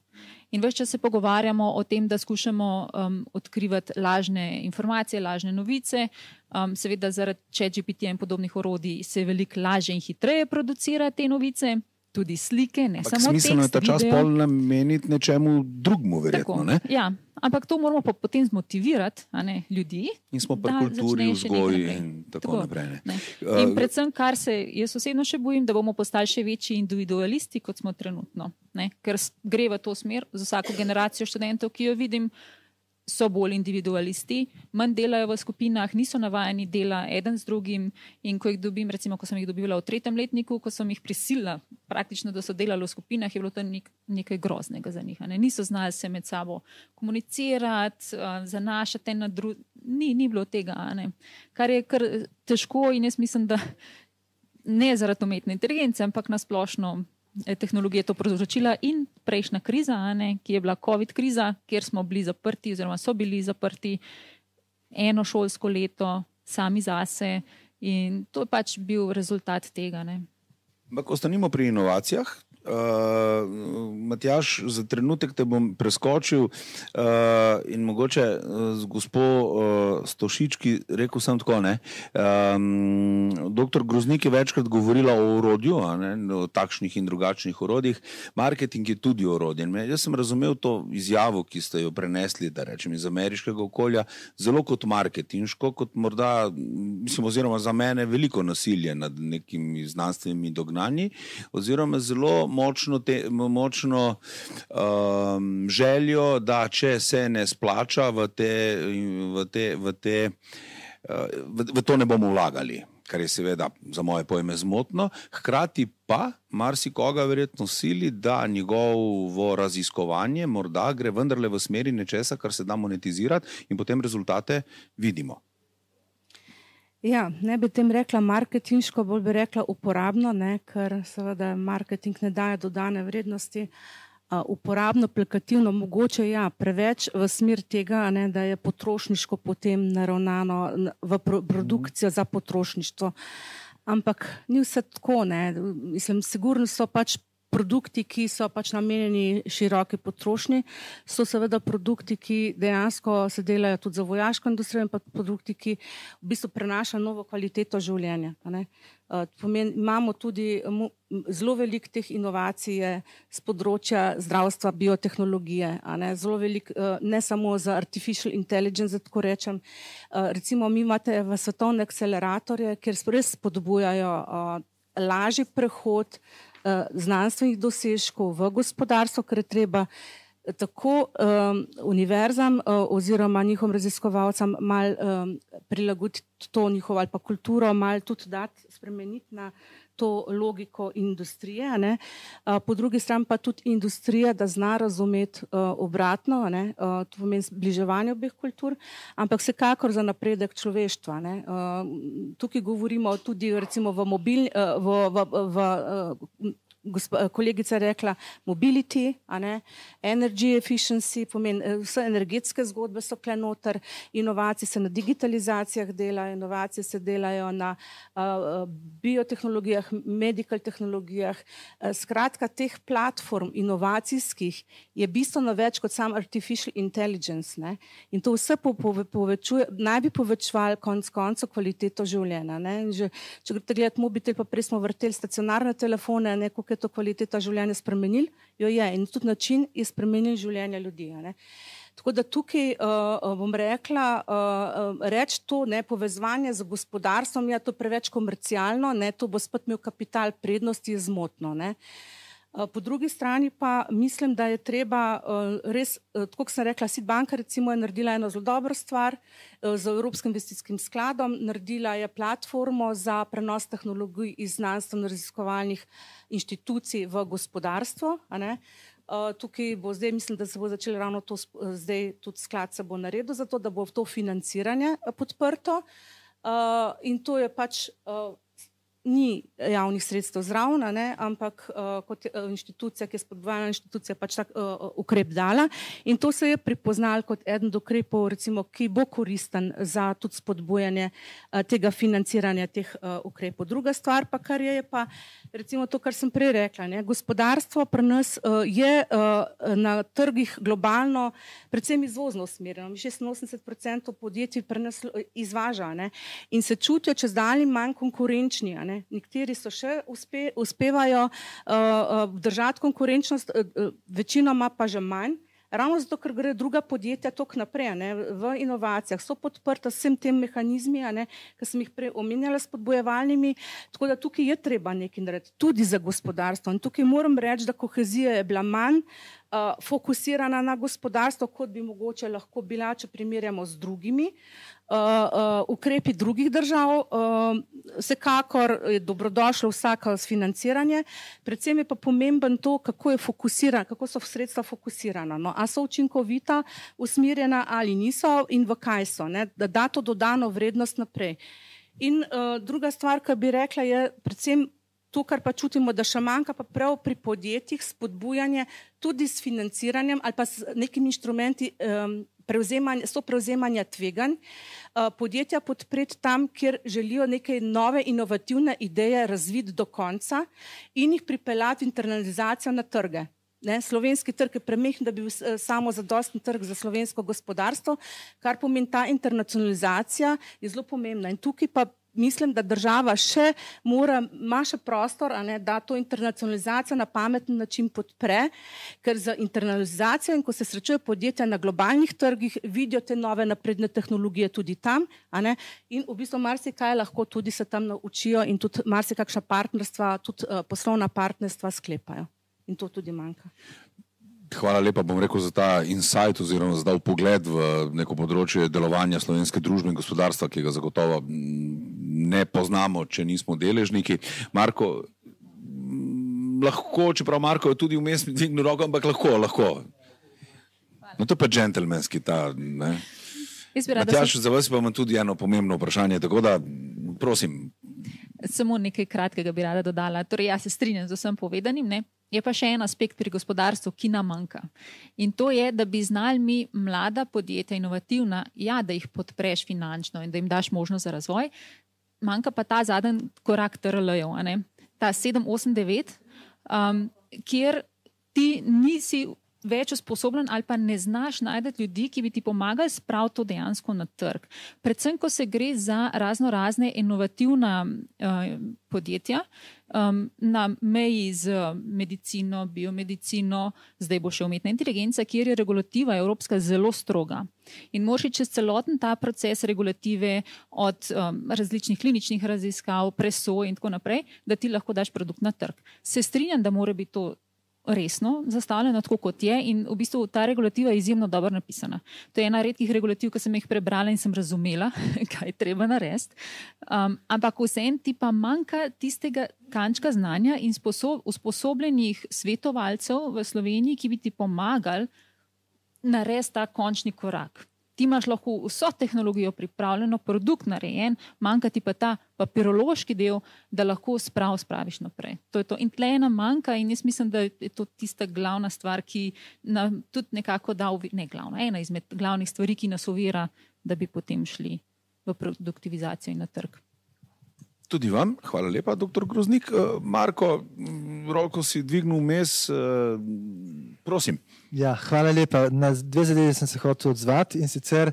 In več čas se pogovarjamo o tem, da skušamo um, odkrivati lažne informacije, lažne novice. Um, seveda zaradi ChatGPT in podobnih orodij se veliko lažje in hitreje producira te novice, tudi slike, ne Ampak samo tekst. Smiselno je ta čas video. pol nameniti nečemu drugemu, verjetno. Tako, Ne? ja, ampak to moramo pa potem zmotivirati, a ne, ljudi. In smo pri da kulturi, začnejo še nekaj vzgoji naprej. in tako, Tako, naprej. Ne? Ne. Uh, In predvsem, kar se jaz osebno še bojim, da bomo postali še večji individualisti, kot smo trenutno. Ne? Ker s- gre v to smer z vsako generacijo študentov, ki jo vidim, so bolj individualisti, manj delajo v skupinah, niso navajeni dela eden z drugim in ko jih dobim, recimo, ko sem jih dobila v tretjem letniku, ko sem jih prisilila praktično, da so delali v skupinah, je bilo to nek, nekaj groznega za njih. a Ne? Niso znali se med sabo komunicirati, uh, zanašati na druge, ni, ni bilo tega, a ne? Kar je kar težko in jaz mislim, da ne zaradi umetne inteligence, ampak nasplošno tehnologija to povzročila in prejšnja kriza, a ne, ki je bila COVID kriza, kjer smo bili zaprti oziroma so bili zaprti eno šolsko leto sami zase in to je pač bil rezultat tega. Ne. Ampak ostanimo pri inovacijah. Uh, Matjaž, za trenutek te bom preskočil uh, in mogoče uh, z gospo uh, Stošički rekel sem tako, ne. Um, doktor Groznik je večkrat govorila o orodju, a ne, o takšnih in drugačnih orodjih. Marketing je tudi orodje. Jaz sem razumel to izjavo, ki ste jo prenesli, da rečem, iz ameriškega okolja, zelo kot marketinško, kot morda, mislim, oziroma za mene veliko nasilje nad nekimi znanstvenimi dognanji, oziroma zelo močno, te, močno um, željo, da če se ne splača v te, v te, v te v, v to ne bomo vlagali, kar je seveda za moje pojme zmotno, hkrati pa marsikoga verjetno sili, da njegovo raziskovanje morda gre vendarle v smeri nečesa, kar se da monetizirati in potem rezultate vidimo. Ja, ne bi tem rekla marketinško, bolj bi rekla uporabno, ne, ker seveda marketing ne daje dodane vrednosti. Uh, uporabno, aplikativno, mogoče ja, preveč v smer tega, ne, da je potrošniško potem naravnano v pro produkcijo za potrošništvo. Ampak ni vse tako, ne. Mislim, sigurno so pač produkti, ki so pač namenjeni široki potrošnji, so seveda produkti, ki dejansko se delajo tudi za vojaško industrijo in pa produkti, ki v bistvu prenašajo novo kvaliteto življenja. Ne. Uh, pomen, imamo tudi mu, zelo veliko teh inovacij z področja zdravstva, biotehnologije, a ne, zelo veliko, uh, ne samo za artificial intelligence, da tako rečem. Uh, recimo, mi imate v svetovne akceleratorje, kjer res spodbujajo uh, lažji prehod znanstvenih dosežkov v gospodarstvo, ker je treba tako um, univerzam uh, oziroma njihovim raziskovalcem mal um, prilagoditi to njihovo ali pa kulturo, mal tudi dati, spremeniti na to logiko industrije, ne. Uh, po drugi strani pa tudi industrija, da zna razumeti uh, obratno, ne, uh, to pomeni zbliževanje obeh kultur, ampak vsekakor za napredek človeštva. Ne. Uh, tukaj govorimo tudi recimo v mobilni, uh, v, v, v, v uh, kolegica je rekla mobility, a ne, energy efficiency, pomeni vse energetske zgodbe so kle noter, inovacije se na digitalizacijah dela, inovacije se delajo na uh, biotehnologijah, medical tehnologijah. Uh, skratka, teh platform inovacijskih je bistveno več kot sam artificial intelligence, ne, in to vse po, po, povečuje, naj bi povečevali konc koncev kvaliteto življenja, ne, in že, če greste gledati mobitel, pa prej smo vrteli stacionarne telefone, ne, koliko je to kvaliteta življenja spremenil, jo je in tudi način je spremenil življenja ljudi. Ne. Tako da tukaj uh, bom rekla, uh, reči to, ne, povezovanje z gospodarstvom, je to preveč komercialno, ne, to bo spet imel kapital prednosti, je zmotno. Ne. Po drugi strani pa mislim, da je treba res, tako kot sem rekla, Sitbanka recimo je naredila eno zelo dobro stvar z Evropskim investicijskim skladom, naredila je platformo za prenos tehnologij iz znanstveno-raziskovalnih inštitucij v gospodarstvo, a ne. Tukaj bo zdaj, mislim, da se bo začelo ravno to, zdaj tudi sklad se bo naredil za to, da bo to financiranje podprto in to je pač ni javnih sredstev zraven, ne, ampak uh, kot inštitucija, ki je spodbujala inštitucija, pač tak uh, ukrep dala in to se je prepoznal kot eden od ukrepov, recimo, ki bo koristen za tudi spodbujanje uh, tega financiranja teh uh, ukrepov. Druga stvar pa, kar je, je pa recimo to, kar sem prej rekla, ne, gospodarstvo pri nas uh, je uh, na trgih globalno predvsem izvozno usmerjeno. šestinosemdeset procentov podjetij pri nas izvaža, ne, in se čutijo čez dalje manj konkurenčni. Ne. Nekateri so še uspe, uspevajo uh, uh, držati konkurenčnost, uh, uh, večinoma pa že manj. Ravno zato, ker gre druga podjetja toliko naprej, ne, v inovacijah, so podprta vsem tem mehanizmi, ki sem jih prej omenjala, spodbojevalnimi, tako da tukaj je treba nekaj narediti, tudi za gospodarstvo. In tukaj moram reči, da kohezija je bila manj uh, fokusirana na gospodarstvo, kot bi mogoče lahko bila, če primerjamo z drugimi uh, uh, ukrepi drugih držav. Uh, vsekakor je dobrodošlo vsako financiranje, predvsem je pa pomemben to, kako je fokusiran, kako so sredstva fokusirana. No, a so učinkovita, usmerjena ali niso in v kaj so, ne, da da to dodano vrednost naprej. In uh, druga stvar, ki bi rekla, je predvsem to, kar pa čutimo, da še manjka pa prav pri podjetjih spodbujanje tudi s financiranjem ali pa s nekimi inštrumenti um, prevzemanja, so prevzemanja tveganj, uh, podjetja podpreti tam, kjer želijo neke nove inovativne ideje razviti do konca in jih pripeljati internalizacijo na trge. Ne, slovenski trg je premehen, da bi bil samo zadosten trg za slovensko gospodarstvo, kar pomeni ta internacionalizacija je zelo pomembna. In tukaj pa mislim, da država še mora, ima še prostor, a ne, da to internacionalizacijo na pameten način podpre, ker za internalizacijo in ko se srečujejo podjetja na globalnih trgih, vidijo te nove napredne tehnologije tudi tam, a ne, in v bistvu marsikaj lahko tudi se tam naučijo in tudi marsikakšna partnerstva, tudi uh, poslovna partnerstva sklepajo. In to tudi manjka. Hvala lepa, bom rekel, za ta insight oziroma za dal pogled v neko področje delovanja slovenske družbe in gospodarstva, ki ga zagotovo ne poznamo, če nismo deležniki. Marko, lahko, čeprav Marko je tudi vmes dvignil roko, ampak lahko, lahko. No to je pa džentelmenski ta, ne. Matjaž, za vas pa imam tudi eno pomembno vprašanje, tako da, prosim. Samo nekaj kratkega bi rada dodala. Torej, jaz se strinjam z vsem povedanim, ne. Je pa še en aspekt pri gospodarstvu, ki nam manjka. In to je, da bi znali mi mlada podjetja, inovativna, ja, da jih podpreš finančno in da jim daš možnost za razvoj, manjka pa ta zadnji korak T R L-jev, a ne? Ta sedem, osem, devet, um, kjer ti nisi več usposobljen ali pa ne znaš najti ljudi, ki bi ti pomagali spraviti to dejansko na trg. Predvsem, ko se gre za razno razne inovativna uh, podjetja, um, na meji z medicino, biomedicino, zdaj bo še umetna inteligenca, kjer je regulativa evropska zelo stroga. In moraš čez celoten ta proces regulative od um, različnih kliničnih raziskav, presoj in tako naprej, da ti lahko daš produkt na trg. Se strinjam, da mora biti to resno zastavljeno tako, kot je in v bistvu ta regulativa je izjemno dobro napisana. To je ena redkih regulativ, ki sem jih prebrala in sem razumela, kaj je treba narediti. Um, ampak vseeno ti pa manjka tistega kančka znanja in sposob, usposobljenih svetovalcev v Sloveniji, ki bi ti pomagali narediti ta končni korak. Ti imaš lahko vso tehnologijo pripravljeno, produkt narejen, manjka ti pa ta papirološki del, da lahko sprav spraviš naprej. To je to. In tle ena manjka in jaz mislim, da je to tista glavna stvar, ki nam tudi nekako da, ne glavna, ena izmed glavnih stvari, ki nas ovira, da bi potem šli v produktivizacijo in na trg. Tudi vam, hvala lepa, doktor Groznik. Marko, roko si dvignil vmes, prosim. Ja, hvala lepa. Na dve zadevi sem se hotel odzvati in sicer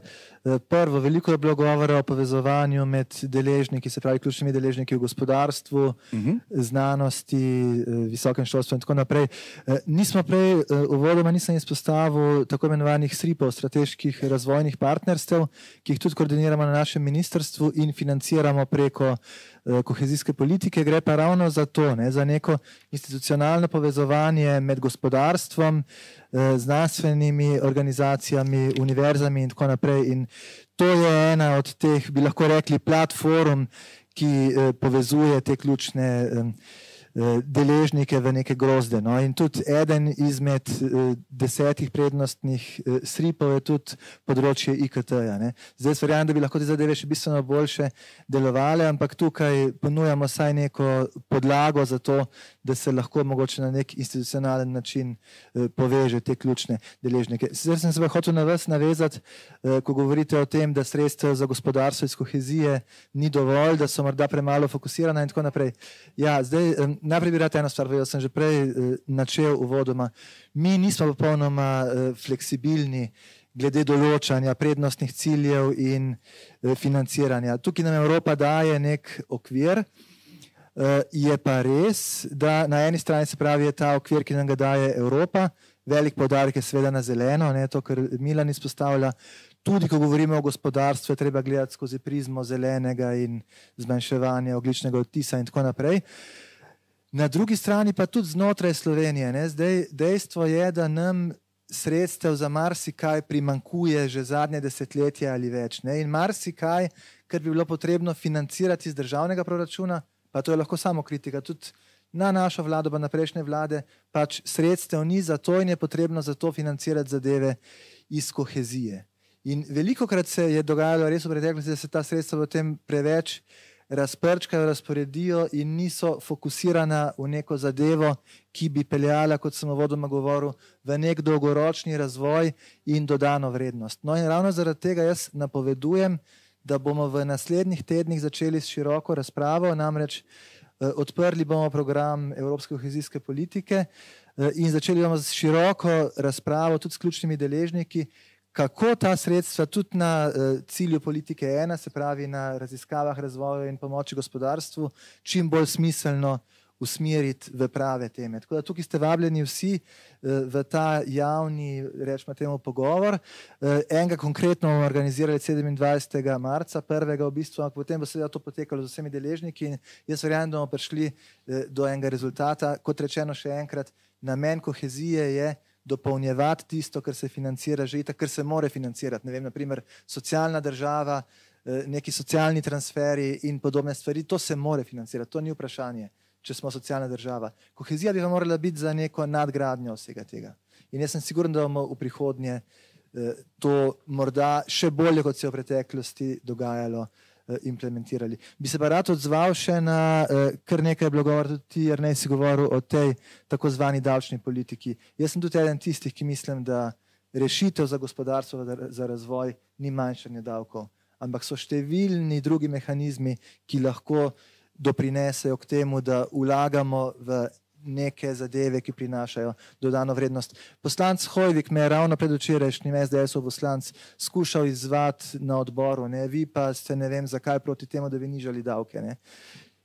prvo, veliko je bilo govora o povezovanju med deležniki, se pravi ključnimi deležniki v gospodarstvu, uh-huh. znanosti, visokem šolstvu in tako naprej. Nismo prej, uvodoma nisem izpostavil tako imenovanih S R I P-ov, strateških razvojnih partnerstev, ki jih tudi koordiniramo na našem ministrstvu in financiramo preko kohezijske politike. Gre pa ravno za to, ne, za neko institucionalno povezovanje med gospodarstvom, znanstvenimi organizacijami, univerzami in tako naprej. In to je ena od teh, bi lahko rekli, platform, ki povezuje te ključne deležnike v neke grozde. No. In tudi eden izmed desetih prednostnih sripov je tudi področje I K T-ja. Zdaj verjamem, da bi lahko te zadeve še bistveno boljše delovale, ampak tukaj ponujamo saj neko podlago za to, da se lahko mogoče na nek institucionalen način poveže te ključne deležnike. Zdaj sem se pa hotel na vas navezati, ko govorite o tem, da sredstev za gospodarstvo iz kohezije ni dovolj, da so morda premalo fokusirana in tako naprej. Ja, zdaj najprej bi rad eno stvar povedal, sem že prej načel uvodoma. Mi nismo popolnoma fleksibilni glede določanja prednostnih ciljev in financiranja. Tukaj nam Evropa daje nek okvir, je pa res, da na eni strani se pravi je ta okvir, ki nam ga daje Evropa, velik poudarek je seveda na zeleno, ne, to, kar Milan izpostavlja. Tudi, ko govorimo o gospodarstvu, je treba gledati skozi prizmo zelenega in zmanjševanja ogljičnega odtisa in tako naprej. Na drugi strani pa tudi znotraj Slovenije. Ne? Zdaj, dejstvo je, da nam sredstev za marsikaj primankuje že zadnje desetletje ali več. Ne? In marsikaj, kar bi bilo potrebno financirati iz državnega proračuna, pa to je lahko samo kritika, tudi na našo vlado, pa na prejšnje vlade, pač sredstev ni za to in je potrebno za to financirati zadeve iz kohezije. In velikokrat se je dogajalo res v preteklosti, da se ta sredstva potem preveč razprčkajo, razporedijo in niso fokusirana v neko zadevo, ki bi peljala, kot sem uvodoma govoril, v nek dolgoročni razvoj in dodano vrednost. No in ravno zaradi tega jaz napovedujem, da bomo v naslednjih tednih začeli s široko razpravo, namreč eh, odprli bomo program Evropske kohezijske politike eh, in začeli bomo s široko razpravo tudi s ključnimi deležniki, kako ta sredstva tudi na uh, cilju politike ena, se pravi na raziskavah, razvoju in pomoči gospodarstvu, čim bolj smiselno usmeriti v prave teme. Tako da tukaj ste vabljeni vsi uh, v ta javni, rečemo temu, pogovor. Uh, enega konkretno bomo organizirali sedemindvajsetega marca, prvega v bistvu, ampak potem bo seveda to potekalo z vsemi deležniki in jaz verjamem, da bomo prišli uh, do enega rezultata. Kot rečeno še enkrat, namen kohezije je dopolnjevati tisto, kar se financira že itak, kar se more financirati. Ne vem, naprimer socialna država, neki socialni transferi in podobne stvari, to se more financirati, to ni vprašanje, če smo socialna država. Kohezija bi pa morala biti za neko nadgradnjo vsega tega. In jaz sem siguren, da bomo v prihodnje to morda še bolje, kot se je v preteklosti dogajalo, implementirali. Bi se pa rad odzval še na kar nekaj bilo govora, tudi ti, Jernej, si govoril o tej tako zvani davčni politiki. Jaz sem tudi eden tistih, ki mislim, da rešitev za gospodarstvo, za razvoj ni manjšanje davkov, ampak so številni drugi mehanizmi, ki lahko doprinesejo k temu, da vlagamo v neke zadeve, ki prinašajo dodano vrednost. Poslanec Hoivik me je ravno pred včerajšnjim S D S-ov poslanc skušal izzvati na odboru, ne? Vi pa ste ne vem zakaj proti temu, da bi nižali davke. Ne?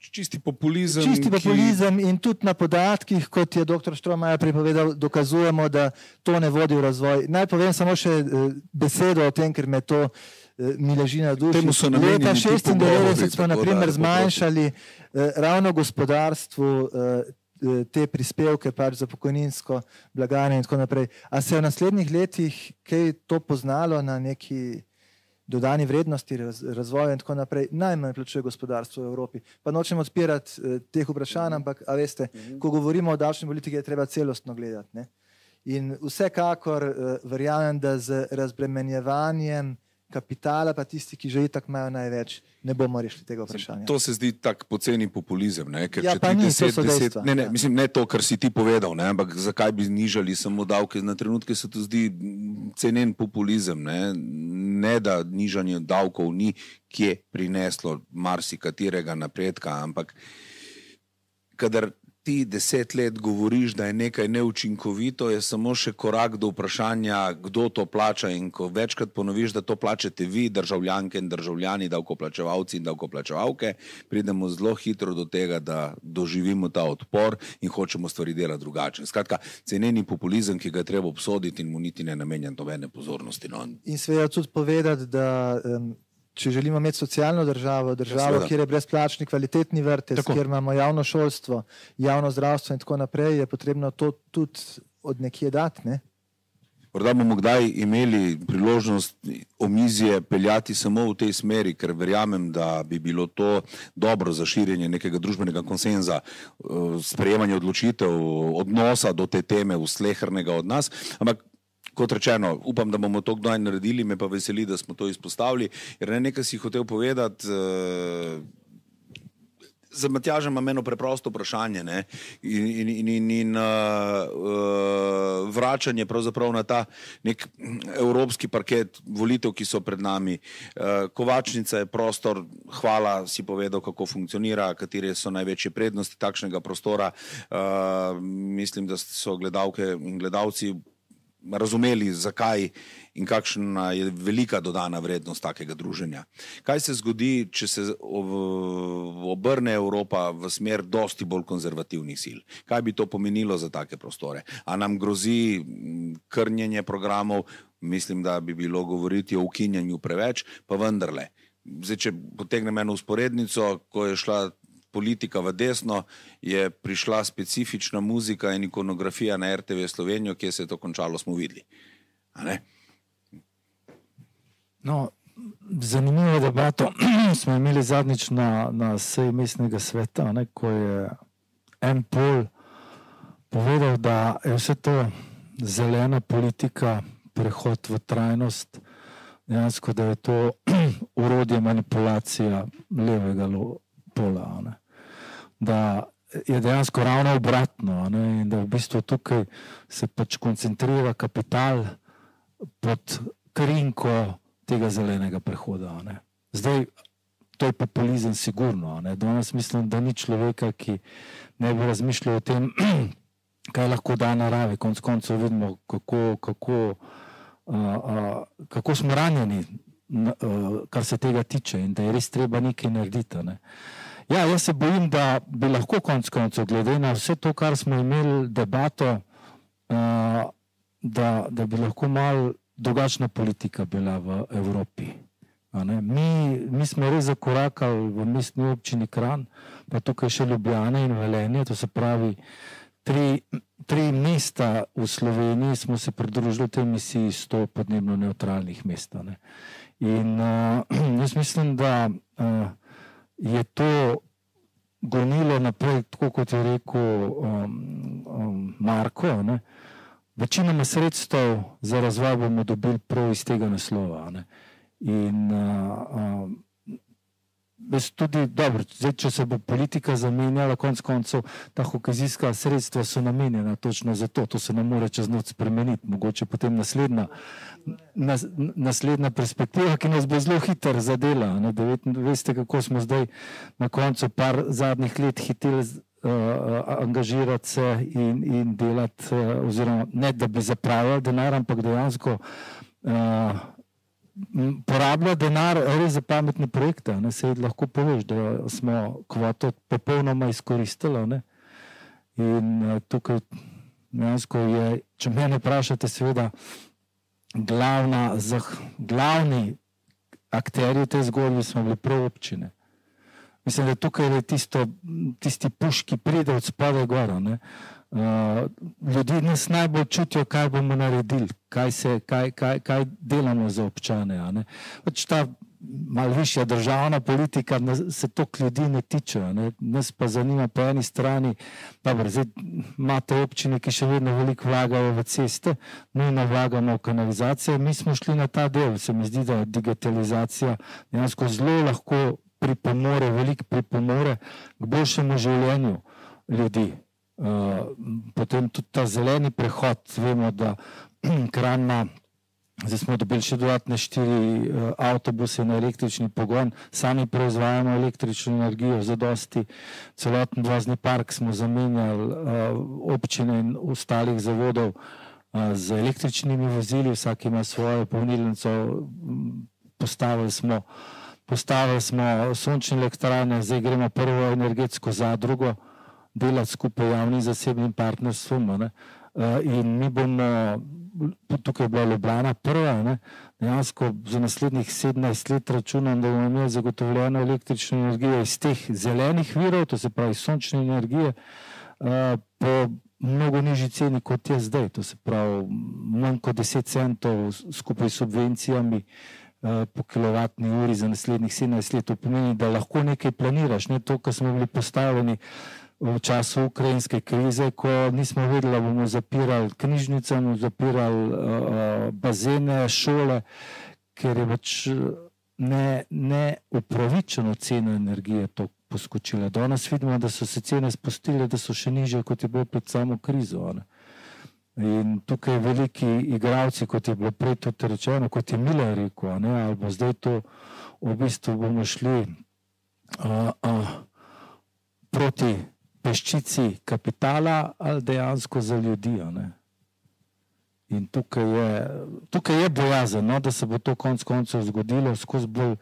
Čisti populizem. Čisti populizem ki... in tudi na podatkih, kot je doktor Štromajer pripovedal, dokazujemo, da to ne vodi v razvoj. Naj povem samo še besedo o tem, ker me to mi leži na duši. Leta šestindevetdeset smo na primer zmanjšali ravno gospodarstvu te prispevke pač za pokojninsko blagajno in tako naprej. A se je v naslednjih letih kaj to poznalo na neki dodani vrednosti, raz, razvoju in tako naprej? Najmanj plačuje gospodarstvo v Evropi. Pa nočem odpirati eh, teh vprašanj, ampak a veste, ko govorimo o davčni politiki, je treba celostno gledati. Ne? In vsekakor eh, verjamem, da z razbremenjevanjem kapitala, pa tisti, ki že itak imajo največ, ne bomo rešili tega vprašanja. To se zdi tak poceni populizem. Ne? Ker ja, pa ni, deset, to so dejstva. Ne, ne, ja. Mislim, ne to, kar si ti povedal, ne? Ampak zakaj bi nižali samo davke? Na trenutke se to zdi cenen populizem. Ne, ne da nižanje davkov ni kje prineslo marsikaterega napredka, ampak kadar ti deset let govoriš, da je nekaj neučinkovito, je samo še korak do vprašanja, kdo to plača, in ko večkrat ponoviš, da to plačate vi, državljanke in državljani, davkoplačevalci in davkoplačevalke, pridemo zelo hitro do tega, da doživimo ta odpor in hočemo stvari delati drugače. Skratka, ceneni populizem, ki ga je treba obsoditi in mu niti ne namenjam nobene pozornosti. No. In seveda tudi povedati, da um, če želimo imeti socialno državo, državo, ja, kjer je brezplačni kvalitetni vrtec, tako, kjer imamo javno šolstvo, javno zdravstvo in tako naprej, je potrebno to tudi od nekje dati. Ne? Morda bomo kdaj imeli priložnost omizje peljati samo v tej smeri, ker verjamem, da bi bilo to dobro za širjenje nekega družbenega konsenza, sprejemanje odločitev, odnosa do te teme v slehernega od nas, ampak kot rečeno, upam, da bomo to kdaj naredili, me pa veseli, da smo to izpostavili, jer ne nekaj si hotel povedati, za Matjažem imam eno preprosto vprašanje, ne? in, in, in, in, in uh, uh, vračanje pravzaprav na ta nek evropski parket volitev, ki so pred nami. Uh, Kovačnica je prostor, hvala, si povedal, kako funkcionira, katere so največje prednosti takšnega prostora. Uh, mislim, da so gledalke in gledalci razumeli, zakaj in kakšna je velika dodana vrednost takega druženja. Kaj se zgodi, če se obrne Evropa v smer dosti bolj konzervativnih sil? Kaj bi to pomenilo za take prostore? A nam grozi krnjenje programov? Mislim, da bi bilo govoriti o ukinjanju preveč, pa vendarle. Zdaj, če potegnem eno usporednico, ko je šla politika v desno, je prišla specifična muzika in ikonografija na er te ve Slovenijo, kje se je to končalo, smo videli. A ne? No, zanimivo debato smo imeli zadnjič na, na seji mestnega sveta, ne, ko je en pol povedal, da je vse to zelena politika, prehod v trajnost, dejansko, da je to orodje manipulacija levega pola, ne. Da je dejansko ravno obratno, ne, in da v bistvu tukaj se pač koncentrira kapital pod krinko tega zelenega prehoda. Ne. Zdaj, to je populizem sigurno. Ne. Danes mislim, da ni človeka, ki ne bi razmišljal o tem, kaj lahko da naravi. Konec koncev vidimo, kako, kako, uh, uh, kako smo ranjeni, uh, kar se tega tiče, in da je res treba nekaj narediti. Ne. Ja, jaz se bojim, da bi lahko konec koncev, glede na vse to, kar smo imeli debato, uh, da, da bi lahko malo drugačna politika bila v Evropi. Mi, mi smo res zakorakali v mestni občini Kranj, pa tukaj še Ljubljana in Velenje, to se pravi tri, tri mesta v Sloveniji smo se pridružili tej misiji sto podnebno neutralnih mest. Ne. In uh, jaz mislim, da uh, je to gonilo naprej, tako kot je rekel um, um, Marko, ne. Večinoma sredstev za razvoj bomo dobili prav iz tega naslova. Ne. In uh, um, tudi, dobro, zdaj, če se bo politika zamenjala, konec koncev, ta kohezijska sredstva so namenjena točno za to, to se ne more čez noč spremeniti, mogoče potem naslednja, nas, naslednja perspektiva, ki nas bo zelo hitro zadela. Ne, da veste, kako smo zdaj na koncu par zadnjih let hiteli uh, angažirati se in, in delati, uh, oziroma ne, da bi zapravljali denar, ampak dejansko uh, porablja denar res za pametne projekte. Ne, se lahko poveš, da smo kvoto popolnoma izkoristili. Ne. In uh, tukaj dejansko je, če mene vprašate, seveda glavna, zah, glavni akterji te zgodbe smo bili prav občine. Mislim, da tukaj je tisto, tisti puš, ki pride od spodaj gora. Ne. Uh, ljudi nas najbolj čutijo, kaj bomo naredili, kaj, se, kaj, kaj, kaj delamo za občane. Ne. Pač ta malo višja državna politika nas, se toliko ljudi ne tiče. Ne. Nas pa zanima po eni strani, dobro, zdaj imate občine, ki še vedno veliko vlagajo v ceste, nujno vlagamo v kanalizacijo, mi smo šli na ta del, se mi zdi, da digitalizacija dejansko zelo lahko pripomore, veliko pripomore k boljšemu življenju ljudi. Uh, potem tudi ta zeleni prehod, vemo, da Kranj ima, zdaj smo dobili še dodatne štiri uh, avtobuse na električni pogon, sami proizvajamo električno energijo, zadosti, celoten vozni park smo zamenjali, uh, občine in ostalih zavodov uh, z električnimi vozili, vsak ima svojo polnilnico, postavili smo, postavili smo sončne elektrarne, zdaj gremo prvo energetsko zadrugo, delati skupaj javnim zasebnim partnerstvom. Ne. In mi bomo, tukaj je bila Ljubljana prva, ne, dejansko za naslednjih sedemnajst let računam, da bomo imeli zagotovljeno električno energijo iz teh zelenih virov, to se pravi sončne energije, po mnogo nižji ceni, kot je zdaj. To se pravi manj kot deset centov skupaj s subvencijami uh, po kilovatni uri za naslednjih sedemnajst let. To pomeni, da lahko nekaj planiraš. Ne? To, kar smo bili postavljeni v času ukrajinske krize, ko nismo vedeli, da bomo zapirali knjižnice, bomo zapirali uh, bazene, šole, ker je pač ne, ne upravičeno ceno energije to poskočila. Danes vidimo, da so se cene spustile, da so še nižje, kot je bilo pred samo krizo. Ne? In tukaj veliki igralci, kot je bilo prej tudi rečeno, kot je Miller rekel, ne? Ali bo zdaj to v bistvu bomo šli uh, uh, proti peščici kapitala ali dejansko za ljudi. Ne? In tukaj je, tukaj je bojazen, no, da se bo to konc koncev zgodilo, skozi bolj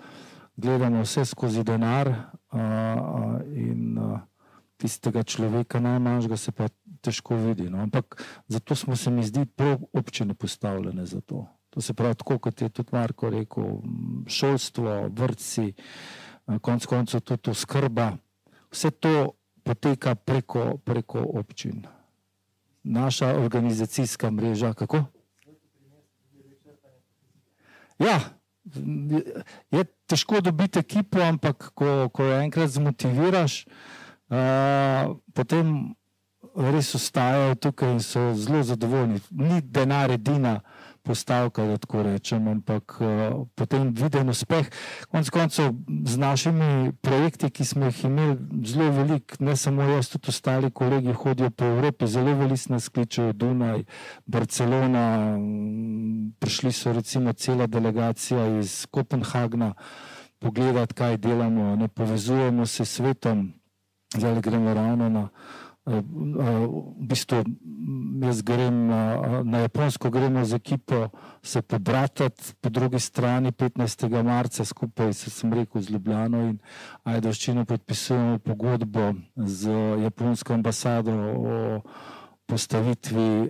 gledamo vse skozi denar uh, uh, in uh, tistega človeka najmanjšega se pa težko vidi. No. Ampak zato smo se mi zdi prav občine postavljene za to. To se pravi tako, kot je tudi Marko rekel, šolstvo, vrtci, uh, konc koncev tudi oskrba, vse to poteka preko, preko občin. Naša organizacijska mreža, kako? Ja, je težko dobiti ekipo, ampak ko, ko jo enkrat zmotiviraš, uh, potem res ostajajo tukaj in so zelo zadovoljni. Ni denar edina postavka, da tako rečem, ampak uh, potem viden uspeh. Konec koncev z našimi projekti, ki smo jih imeli zelo veliko, ne samo jaz, tudi ostali kolegi hodijo po Evropi, zelo veliko nas kličejo Dunaj, Barcelona, prišli so recimo cela delegacija iz Kopenhagna pogledati, kaj delamo, ne povezujemo se s svetom, zdaj gremo ravno na v bistvu jaz grem na Japonsko, gremo z ekipo se pobratati, po drugi strani petnajstega marca skupaj, se sem rekel, z Ljubljano in Ajdovščino podpisujemo pogodbo z japonsko ambasado o postavitvi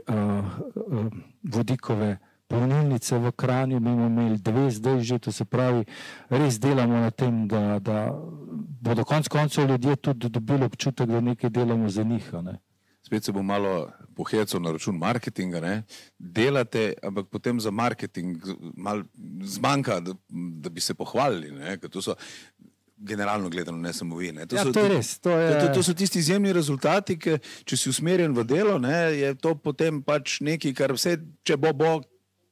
vodikove polnilnice v Kranju. Mi bomo imeli dve zdaj že, to se pravi, res delamo na tem, da, da bodo konec koncev ljudje tudi dobili občutek, da nekaj delamo za njih. Ne? Spet se bo malo pohecel na račun marketinga, ne? Delate, ampak potem za marketing malo zmanjka, da, da bi se pohvalili, ne? Ker to so generalno gledano, ne samo vi. Ne? To, ja, so, to je res. To, je... to, to, to so tisti izjemni rezultati, ki, če si usmerjen v delo, ne, je to potem pač nekaj, kar vse, če bo, bo,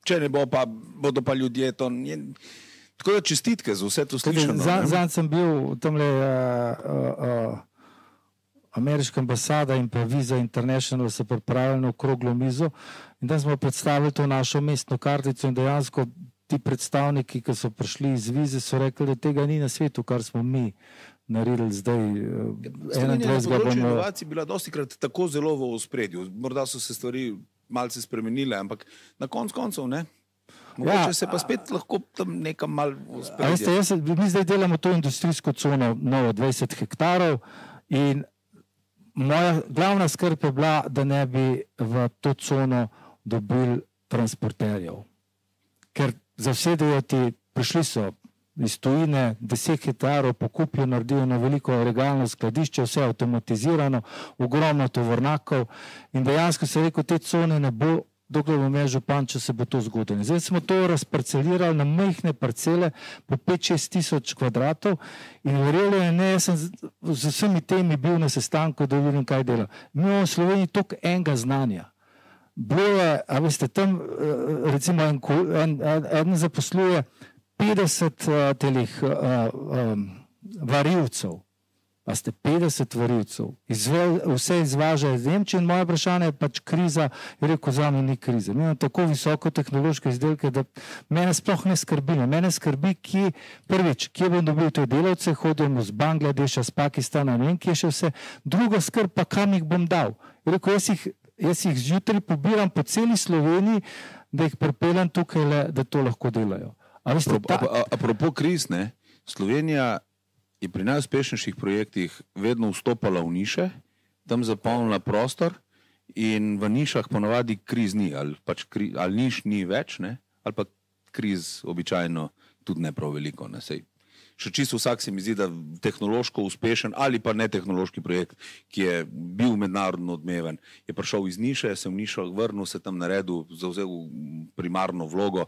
če ne bo, pa bodo pa ljudje to... Je, tako da čestitke za vse to slišano. Zanj sem bil tamle uh, uh, uh, ameriška ambasada in pa Visa International so pripravili na okroglo mizo in tam smo predstavili to našo mestno kartico in dejansko ti predstavniki, ki so prišli iz Vize, so rekli, da tega ni na svetu, kar smo mi naredili zdaj. Slovenija na področju inovacij bila dostikrat tako zelo v ospredju. Morda so se stvari malce spremenile, ampak na konc koncev, ne? Mogoče ja, se pa spet lahko tam nekam malo uspredje. Mi zdaj delamo to industrijsko cono novo dvajset hektarov in moja glavna skrb je bila, da ne bi v to cono dobili transporterjev. Ker zasedajo ti, prišli so iz tujine, deset hektarov pokupijo, naredijo na veliko regalno skladišče, vse avtomatizirano, ogromno tovornjakov in dejansko se rekel, te cone ne bo, dokler bo imel župan, če se bo to zgodilo. Zdaj smo to razparcelirali na majhne parcele po pet šest tisoč kvadratov in verjelo je, ne, jaz sem z, z vsemi temi bil na sestanku, da vidim, kaj dela. Mi imamo v Sloveniji toliko enega znanja. Bilo je, a veste, tam recimo en, en, en zaposluje petdeset uh, telih uh, um, varilcev. Pa ste petdeset varilcev. Izve, vse izvaža iz Nemčije in moje vprašanje je pač kriza, je rekel, za me ni krize. Mi imamo tako visoko tehnološke izdelke, da mene sploh ne skrbi. Mene skrbi, ki, prvič, kje bom dobil te delavce, hodimo z Bangladeša, z Pakistana, ne vem, kje še vse. Druga skrb pa, kam jih bom dal. Je rekel, jaz jih Jaz jih zjutraj pobiram po celi Sloveniji, da jih pripeljem tukaj, le, da to lahko delajo. Apropo kriz, ne, Slovenija je pri najuspešnejših projektih vedno vstopala v niše, tam zapolnila prostor in v nišah ponavadi kriz ni, ali, pač kri, ali niš ni več, ne, ali pa kriz običajno tudi ne prav veliko. Ne, sej, še čisto vsak se mi zdi, da tehnološko uspešen ali pa ne tehnološki projekt, ki je bil mednarodno odmeven, je prišel iz niše, se v nišo vrnil, se tam naredil, zavzel primarno vlogo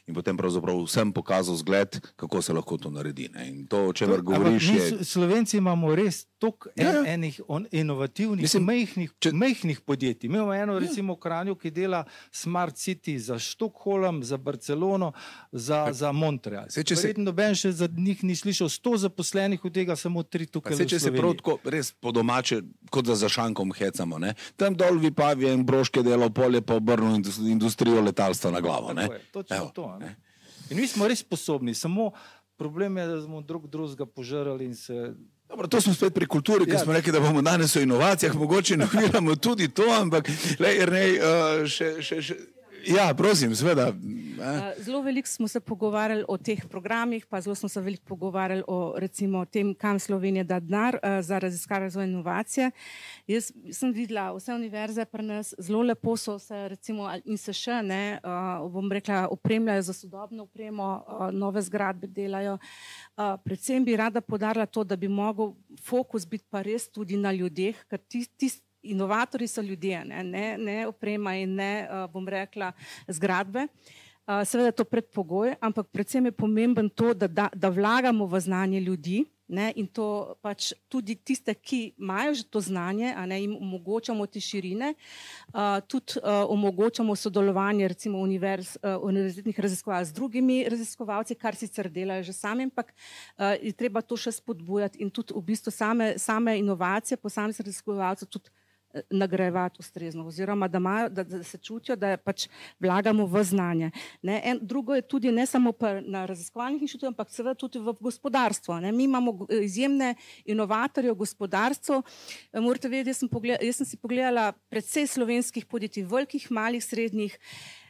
in potem pravzaprav vsem pokazal zgled, kako se lahko to naredi. Ne? In to, o čemer govoriš, je... Slovenci imamo res toliko en, ja, ja. enih inovativnih, Mislim, mehnih, če... mehnih podjetij. Mi imamo eno, recimo, v Kranju, ki dela Smart City za Štokholm, za Barcelono, za, za Montreal. Se, Verjetno se... noben še za njih ni slišal, sto zaposlenih, od tega samo tri tukaj v Sloveniji. Če se prav tako res po domače, kot da za šankom hecamo, ne? Tam dol Vipavi in Broške delo polje pa obrnil industrijo letalstva na glavo. Ne? Tako je, točno Evo, to. Ne? In mi smo res sposobni, samo problem je, da smo drug drugega požrali in se... Dobro, to smo spet pri kulturi, ker ja, smo rekli, da bomo danes o inovacijah, mogoče noviramo tudi to, ampak le, Jernej, uh, še, še, še... Ja, prosim, seveda. Zelo veliko smo se pogovarjali o teh programih, pa zelo smo se veliko pogovarjali o recimo tem, kam Slovenija da denar za raziskave, razvoj in inovacije. Jaz sem videla, vse univerze pri nas zelo lepo so se recimo in se še ne, bom rekla, opremljajo za sodobno opremo, nove zgradbe delajo. Predvsem bi rada poudarila to, da bi mogel fokus biti pa res tudi na ljudeh, ker tisti inovatorji so ljudje, ne, ne, ne oprema in ne, bom rekla, zgradbe. Seveda je to predpogoj, ampak predvsem je pomemben to, da, da, da vlagamo v znanje ljudi, ne, in to pač tudi tiste, ki imajo že to znanje, a ne, jim omogočamo te širine, uh, tudi uh, omogočamo sodelovanje recimo univerz, uh, univerzitetnih raziskovalcev z drugimi raziskovalci, kar sicer delajo že sami, ampak uh, je treba to še spodbujati in tudi v bistvu same, same inovacije posameznih raziskovalcev tudi nagrajevati ustrezno, oziroma da, imajo, da, da se čutijo, da pač vlagamo v znanje. Ne, en, drugo je tudi ne samo pa na raziskovalnih inštitutih, ampak seveda tudi v gospodarstvo. Ne. Mi imamo izjemne inovatorje v gospodarstvu. Morate vedeti, jaz sem, pogled, jaz sem si pogledala precej slovenskih podjetij, velikih, malih, srednjih.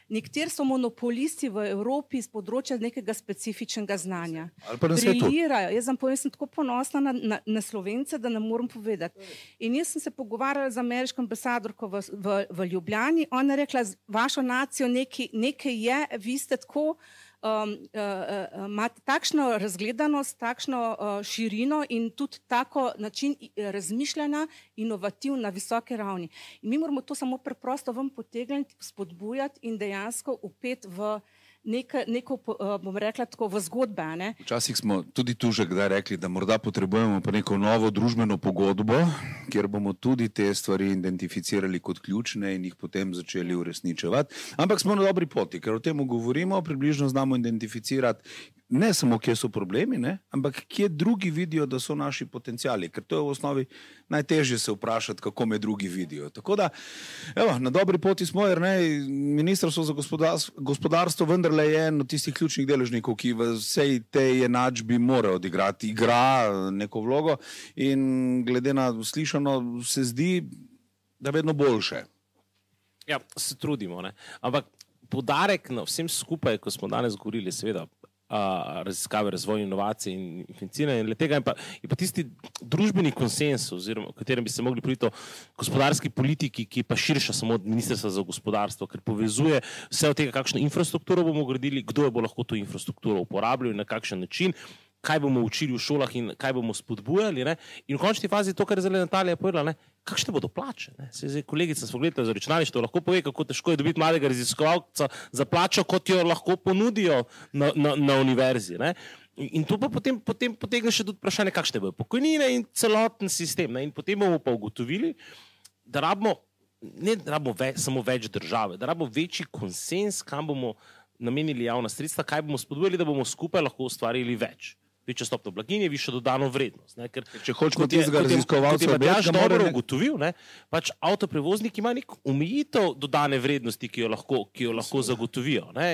Nekateri so monopolisti v Evropi z področja nekega specifičnega znanja. Briljirajo. Jaz sem, povem, sem tako ponosna na, na, na Slovence, da ne morem povedati. In jaz sem se pogovarjala z ameriško ambasadorko v, v, v Ljubljani. Ona je rekla, vašo nacijo nekaj, nekaj je, vi ste tako, um, uh, imate takšno razgledanost, takšno uh, širino in tudi tako način razmišljanja, inovativ na visoke ravni. In mi moramo to samo preprosto vam potegniti, spodbujati in dejansko upet v Neka, neko, bom rekla tako, v zgodbe. Ne? Včasih smo tudi tu že kdaj rekli, da morda potrebujemo pa neko novo družbeno pogodbo, kjer bomo tudi te stvari identificirali kot ključne in jih potem začeli uresničevati. Ampak smo na dobri poti, ker o tem govorimo, približno znamo identificirati ne samo, kje so problemi, ne? Ampak kje drugi vidijo, da so naši potencijali, ker to je v osnovi najtežje se vprašati, kako me drugi vidijo. Tako da, evo, na dobri poti smo, jer ne, Ministrstvo za gospodarstvo, gospodarstvo vendarle je eno tistih ključnih deležnikov, ki v vsej tej enačbi mora odigrati, igra neko vlogo in glede na slišano se zdi, da vedno boljše. Ja, se trudimo, ne. Ampak poudarek na vsem skupaj, ko smo danes govorili, seveda, Uh, raziskave, razvoj, inovacije in financiranje. In tega je pa, je pa tisti družbeni konsens, oziroma v katerem bi se mogli priti o gospodarski politiki, ki je pa širša samo od Ministrstva za gospodarstvo, ker povezuje vse od tega, kakšno infrastrukturo bomo gradili, kdo je bo lahko to infrastrukturo uporabljal in na kakšen način, kaj bomo učili v šolah in kaj bomo spodbujali. Ne? In v končni fazi to, kar je zdaj Natalija povedala, ne? Kakšne bodo plače. Ne? Se zdaj kolegica s pogledom za računalništvo lahko pove, kako težko je dobiti mladega raziskovalca za plačo, kot jo lahko ponudijo na, na, na univerzi. Ne? In to pa potem, potem potegne še tudi vprašanje, kakšne bodo pokojnine in celoten sistem. Ne? In potem bomo pa ugotovili, da rabimo, ne da rabimo več, samo več države, da rabimo večji konsens, kam bomo namenili javna sredstva, kaj bomo spodbujali, da bomo skupaj lahko ustvarili več. Večja stopnja blaginje, višja dodano vrednost. Ne? Ker, če hočemo tistega raziskovalca, kot je Matjaž dobro ugotovil, ne? Pač avtoprevoznik ima nek omejitev dodane vrednosti, ki jo lahko, ki jo lahko zagotovijo. Ne?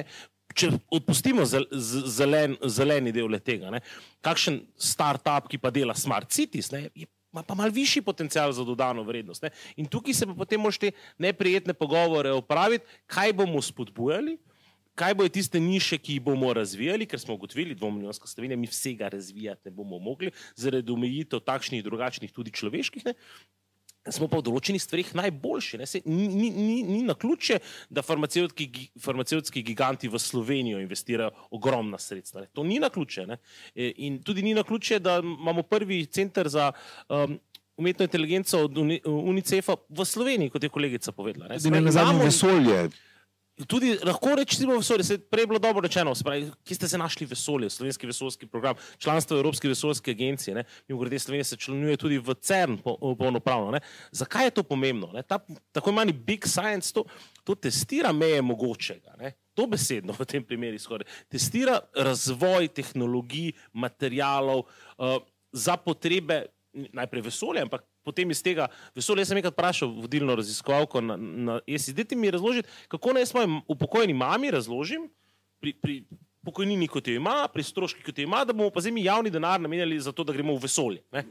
Če odpustimo zelen, zeleni del tega, ne? Kakšen start-up, ki pa dela Smart Cities, ne? Ima pa malo višji potencial za dodano vrednost. Ne? In tukaj se pa potem moraš te neprijetne pogovore opraviti, kaj bomo spodbujali, kaj bojo tiste niše, ki jih bomo razvijali, ker smo ugotovili, dvomilijonska Slovenija, mi vsega razvijati ne bomo mogli, zaradi omejitev takšnih drugačnih tudi človeških, ne? smo pa v določenih stvarih najboljši. Ne? Se, ni, ni, ni na ključe, da farmacevtski, farmacevtski giganti v Slovenijo investirajo ogromna sredstva. Ne? To ni na ključe. Ne? In tudi ni na ključe, da imamo prvi center za um, umetno inteligenco od UNICEF-a v Sloveniji, kot je kolegica povedala. Ne? Tudi ne na zadnjem vesolje. Tudi lahko rečemo vesolje, se je prej bilo dobro rečeno, spravi, kje ste se našli vesolje, slovenski vesoljski program, članstvo Evropske vesoljske agencije, ne, mimogrede Slovenija se članuje tudi v CERN polnopravno, ne. Zakaj je to pomembno? Ne? Ta, tako imani big science, to, to testira meje mogočega, ne. Dobesedno v tem primeru skoraj, testira razvoj tehnologij, materialov uh, za potrebe najprej vesolja, ampak potem iz tega vesolja. Jaz sem enkrat vprašal vodilno raziskovalko na, na E S I, dajte mi razložiti, kako naj svoji upokojeni mami razložim pri, pri pokojnini, kot jo ima, pri stroški, kot jo ima, da bomo pa zdaj mi javni denar namenjali za to, da gremo v vesolje. Ne?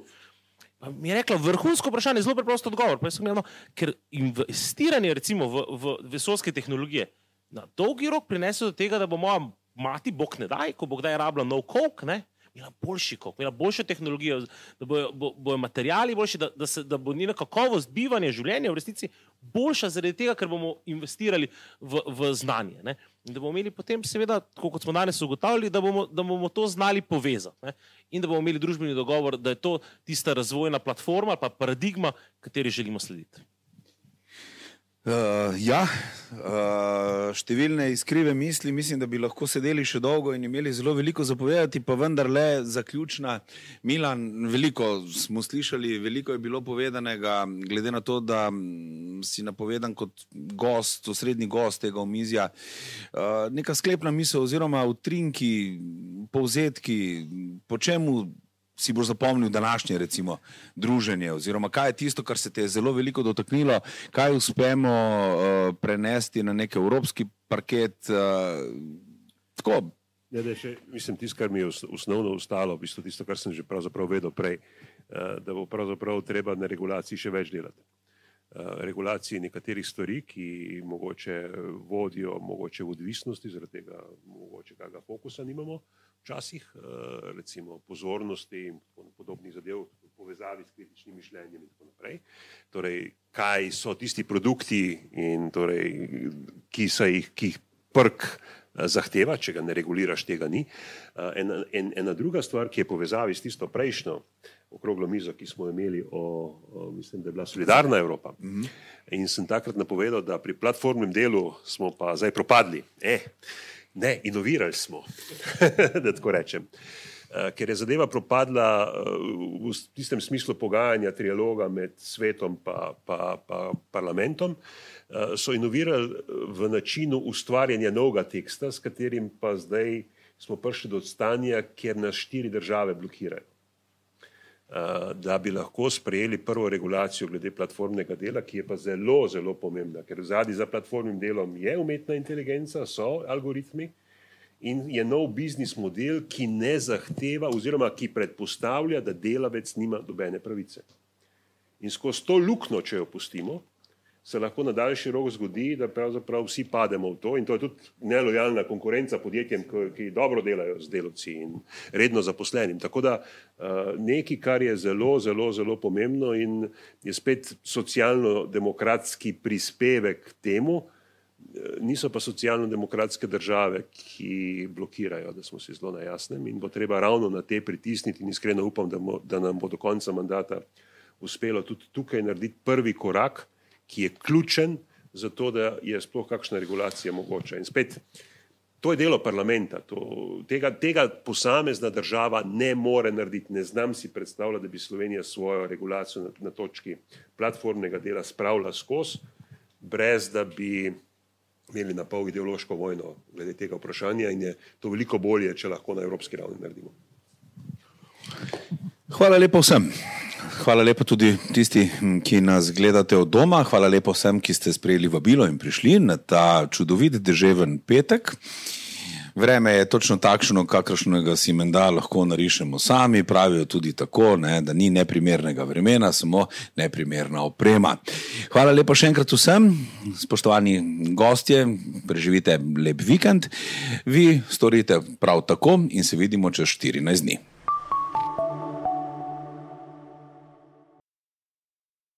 Pa mi je rekla, vrhunsko vprašanje, zelo preprosto odgovor. Pa sem imel, no, ker investiranje recimo v, v vesoljske tehnologije na dolgi rok prinese do tega, da bo moja mati, bog ne daj, ko bo kdaj rabila nov coke, ne, imela boljši kok, imela boljšo tehnologijo, da bojo, bo, bojo materijali boljši, da, da, se, da bo njena kakovost bivanja življenja v resnici boljša zaradi tega, ker bomo investirali v, v znanje. Ne? In da bomo imeli potem seveda, kot smo danes ugotavljali, da bomo, da bomo to znali povezati. Ne? In da bomo imeli družbeni dogovor, da je to tista razvojna platforma ali pa paradigma, kateri želimo slediti. Uh, ja, uh, številne iskrive misli, mislim, da bi lahko sedeli še dolgo in imeli zelo veliko zapovedati, pa vendar le zaključna. Milan, veliko smo slišali, veliko je bilo povedanega, glede na to, da si napovedan kot gost, osrednji gost tega omizja. Uh, neka sklepna misel oziroma utrinki, povzetki, po čemu si boš zapomnil današnje recimo druženje oziroma kaj je tisto, kar se te je zelo veliko dotaknilo, kaj uspemo uh, prenesti na nek evropski parket. Uh, tako. Ja, da še, mislim, tisto, kar mi je osnovno ostalo, v bistvu tisto, kar sem že pravzaprav vedel prej, uh, da bo pravzaprav treba na regulaciji še več delati. Uh, regulaciji nekaterih stvari, ki mogoče vodijo mogoče v odvisnosti, zaradi tega mogoče kakega fokusa nimamo. Včasih, recimo pozornosti in podobnih zadev v povezavi s kritičnim mišljenjem in tako naprej. Torej, kaj so tisti produkti, in torej, ki, so jih, ki jih prk zahteva, če ga ne reguliraš, tega ni. Ena, en, ena druga stvar, ki je povezavi s tisto prejšnjo okroglo mizo, ki smo imeli o, o mislim, da je bila solidarna Evropa. Mm-hmm. In sem takrat napovedal, da pri platformnem delu smo pa zdaj propadli. Eh, Ne, inovirali smo, da tako rečem. Ker je zadeva propadla v tistem smislu pogajanja, trialoga med svetom pa, pa, pa parlamentom, so inovirali v načinu ustvarjanja novega teksta, s katerim pa zdaj smo prišli do stanja, kjer nas štiri države blokirajo. Da bi lahko sprejeli prvo regulacijo glede platformnega dela, ki je pa zelo, zelo pomembna, ker zadaj za platformnim delom je umetna inteligenca, so algoritmi in je nov biznis model, ki ne zahteva oziroma ki predpostavlja, da delavec nima nobene pravice. In skozi to luknjo, če jo pustimo, se lahko na daljši rok zgodi, da pravzaprav vsi pademo v to in to je tudi nelojalna konkurenca podjetjem, ki dobro delajo z delavci in redno zaposlenim. Tako da nekaj, kar je zelo, zelo, zelo pomembno in je spet socialno-demokratski prispevek temu, niso pa socialno-demokratske države, ki blokirajo, da smo si zelo na jasnem in bo treba ravno na te pritisniti in iskreno upam, da, mo, da nam bo do konca mandata uspelo tudi tukaj narediti prvi korak, ki je ključen za to, da je sploh kakšna regulacija mogoča. In spet, to je delo parlamenta. To, tega, tega posamezna država ne more narediti. Ne znam si predstavljati, da bi Slovenija svojo regulacijo na, na točki platformnega dela spravila skozi, brez da bi imeli na pol ideološko vojno glede tega vprašanja in je to veliko bolje, če lahko na evropski ravni naredimo. Hvala lepo vsem. Hvala lepo tudi tisti, ki nas gledate od doma. Hvala lepo vsem, ki ste sprejeli vabilo in prišli na ta čudovit deževen petek. Vreme je točno takšno, kakršnega si menda lahko narišemo sami. Pravijo tudi tako, ne, da ni neprimernega vremena, samo neprimerna oprema. Hvala lepo še enkrat vsem. Spoštovani gostje, preživite lep vikend. Vi storite prav tako in se vidimo čez štirinajst dni.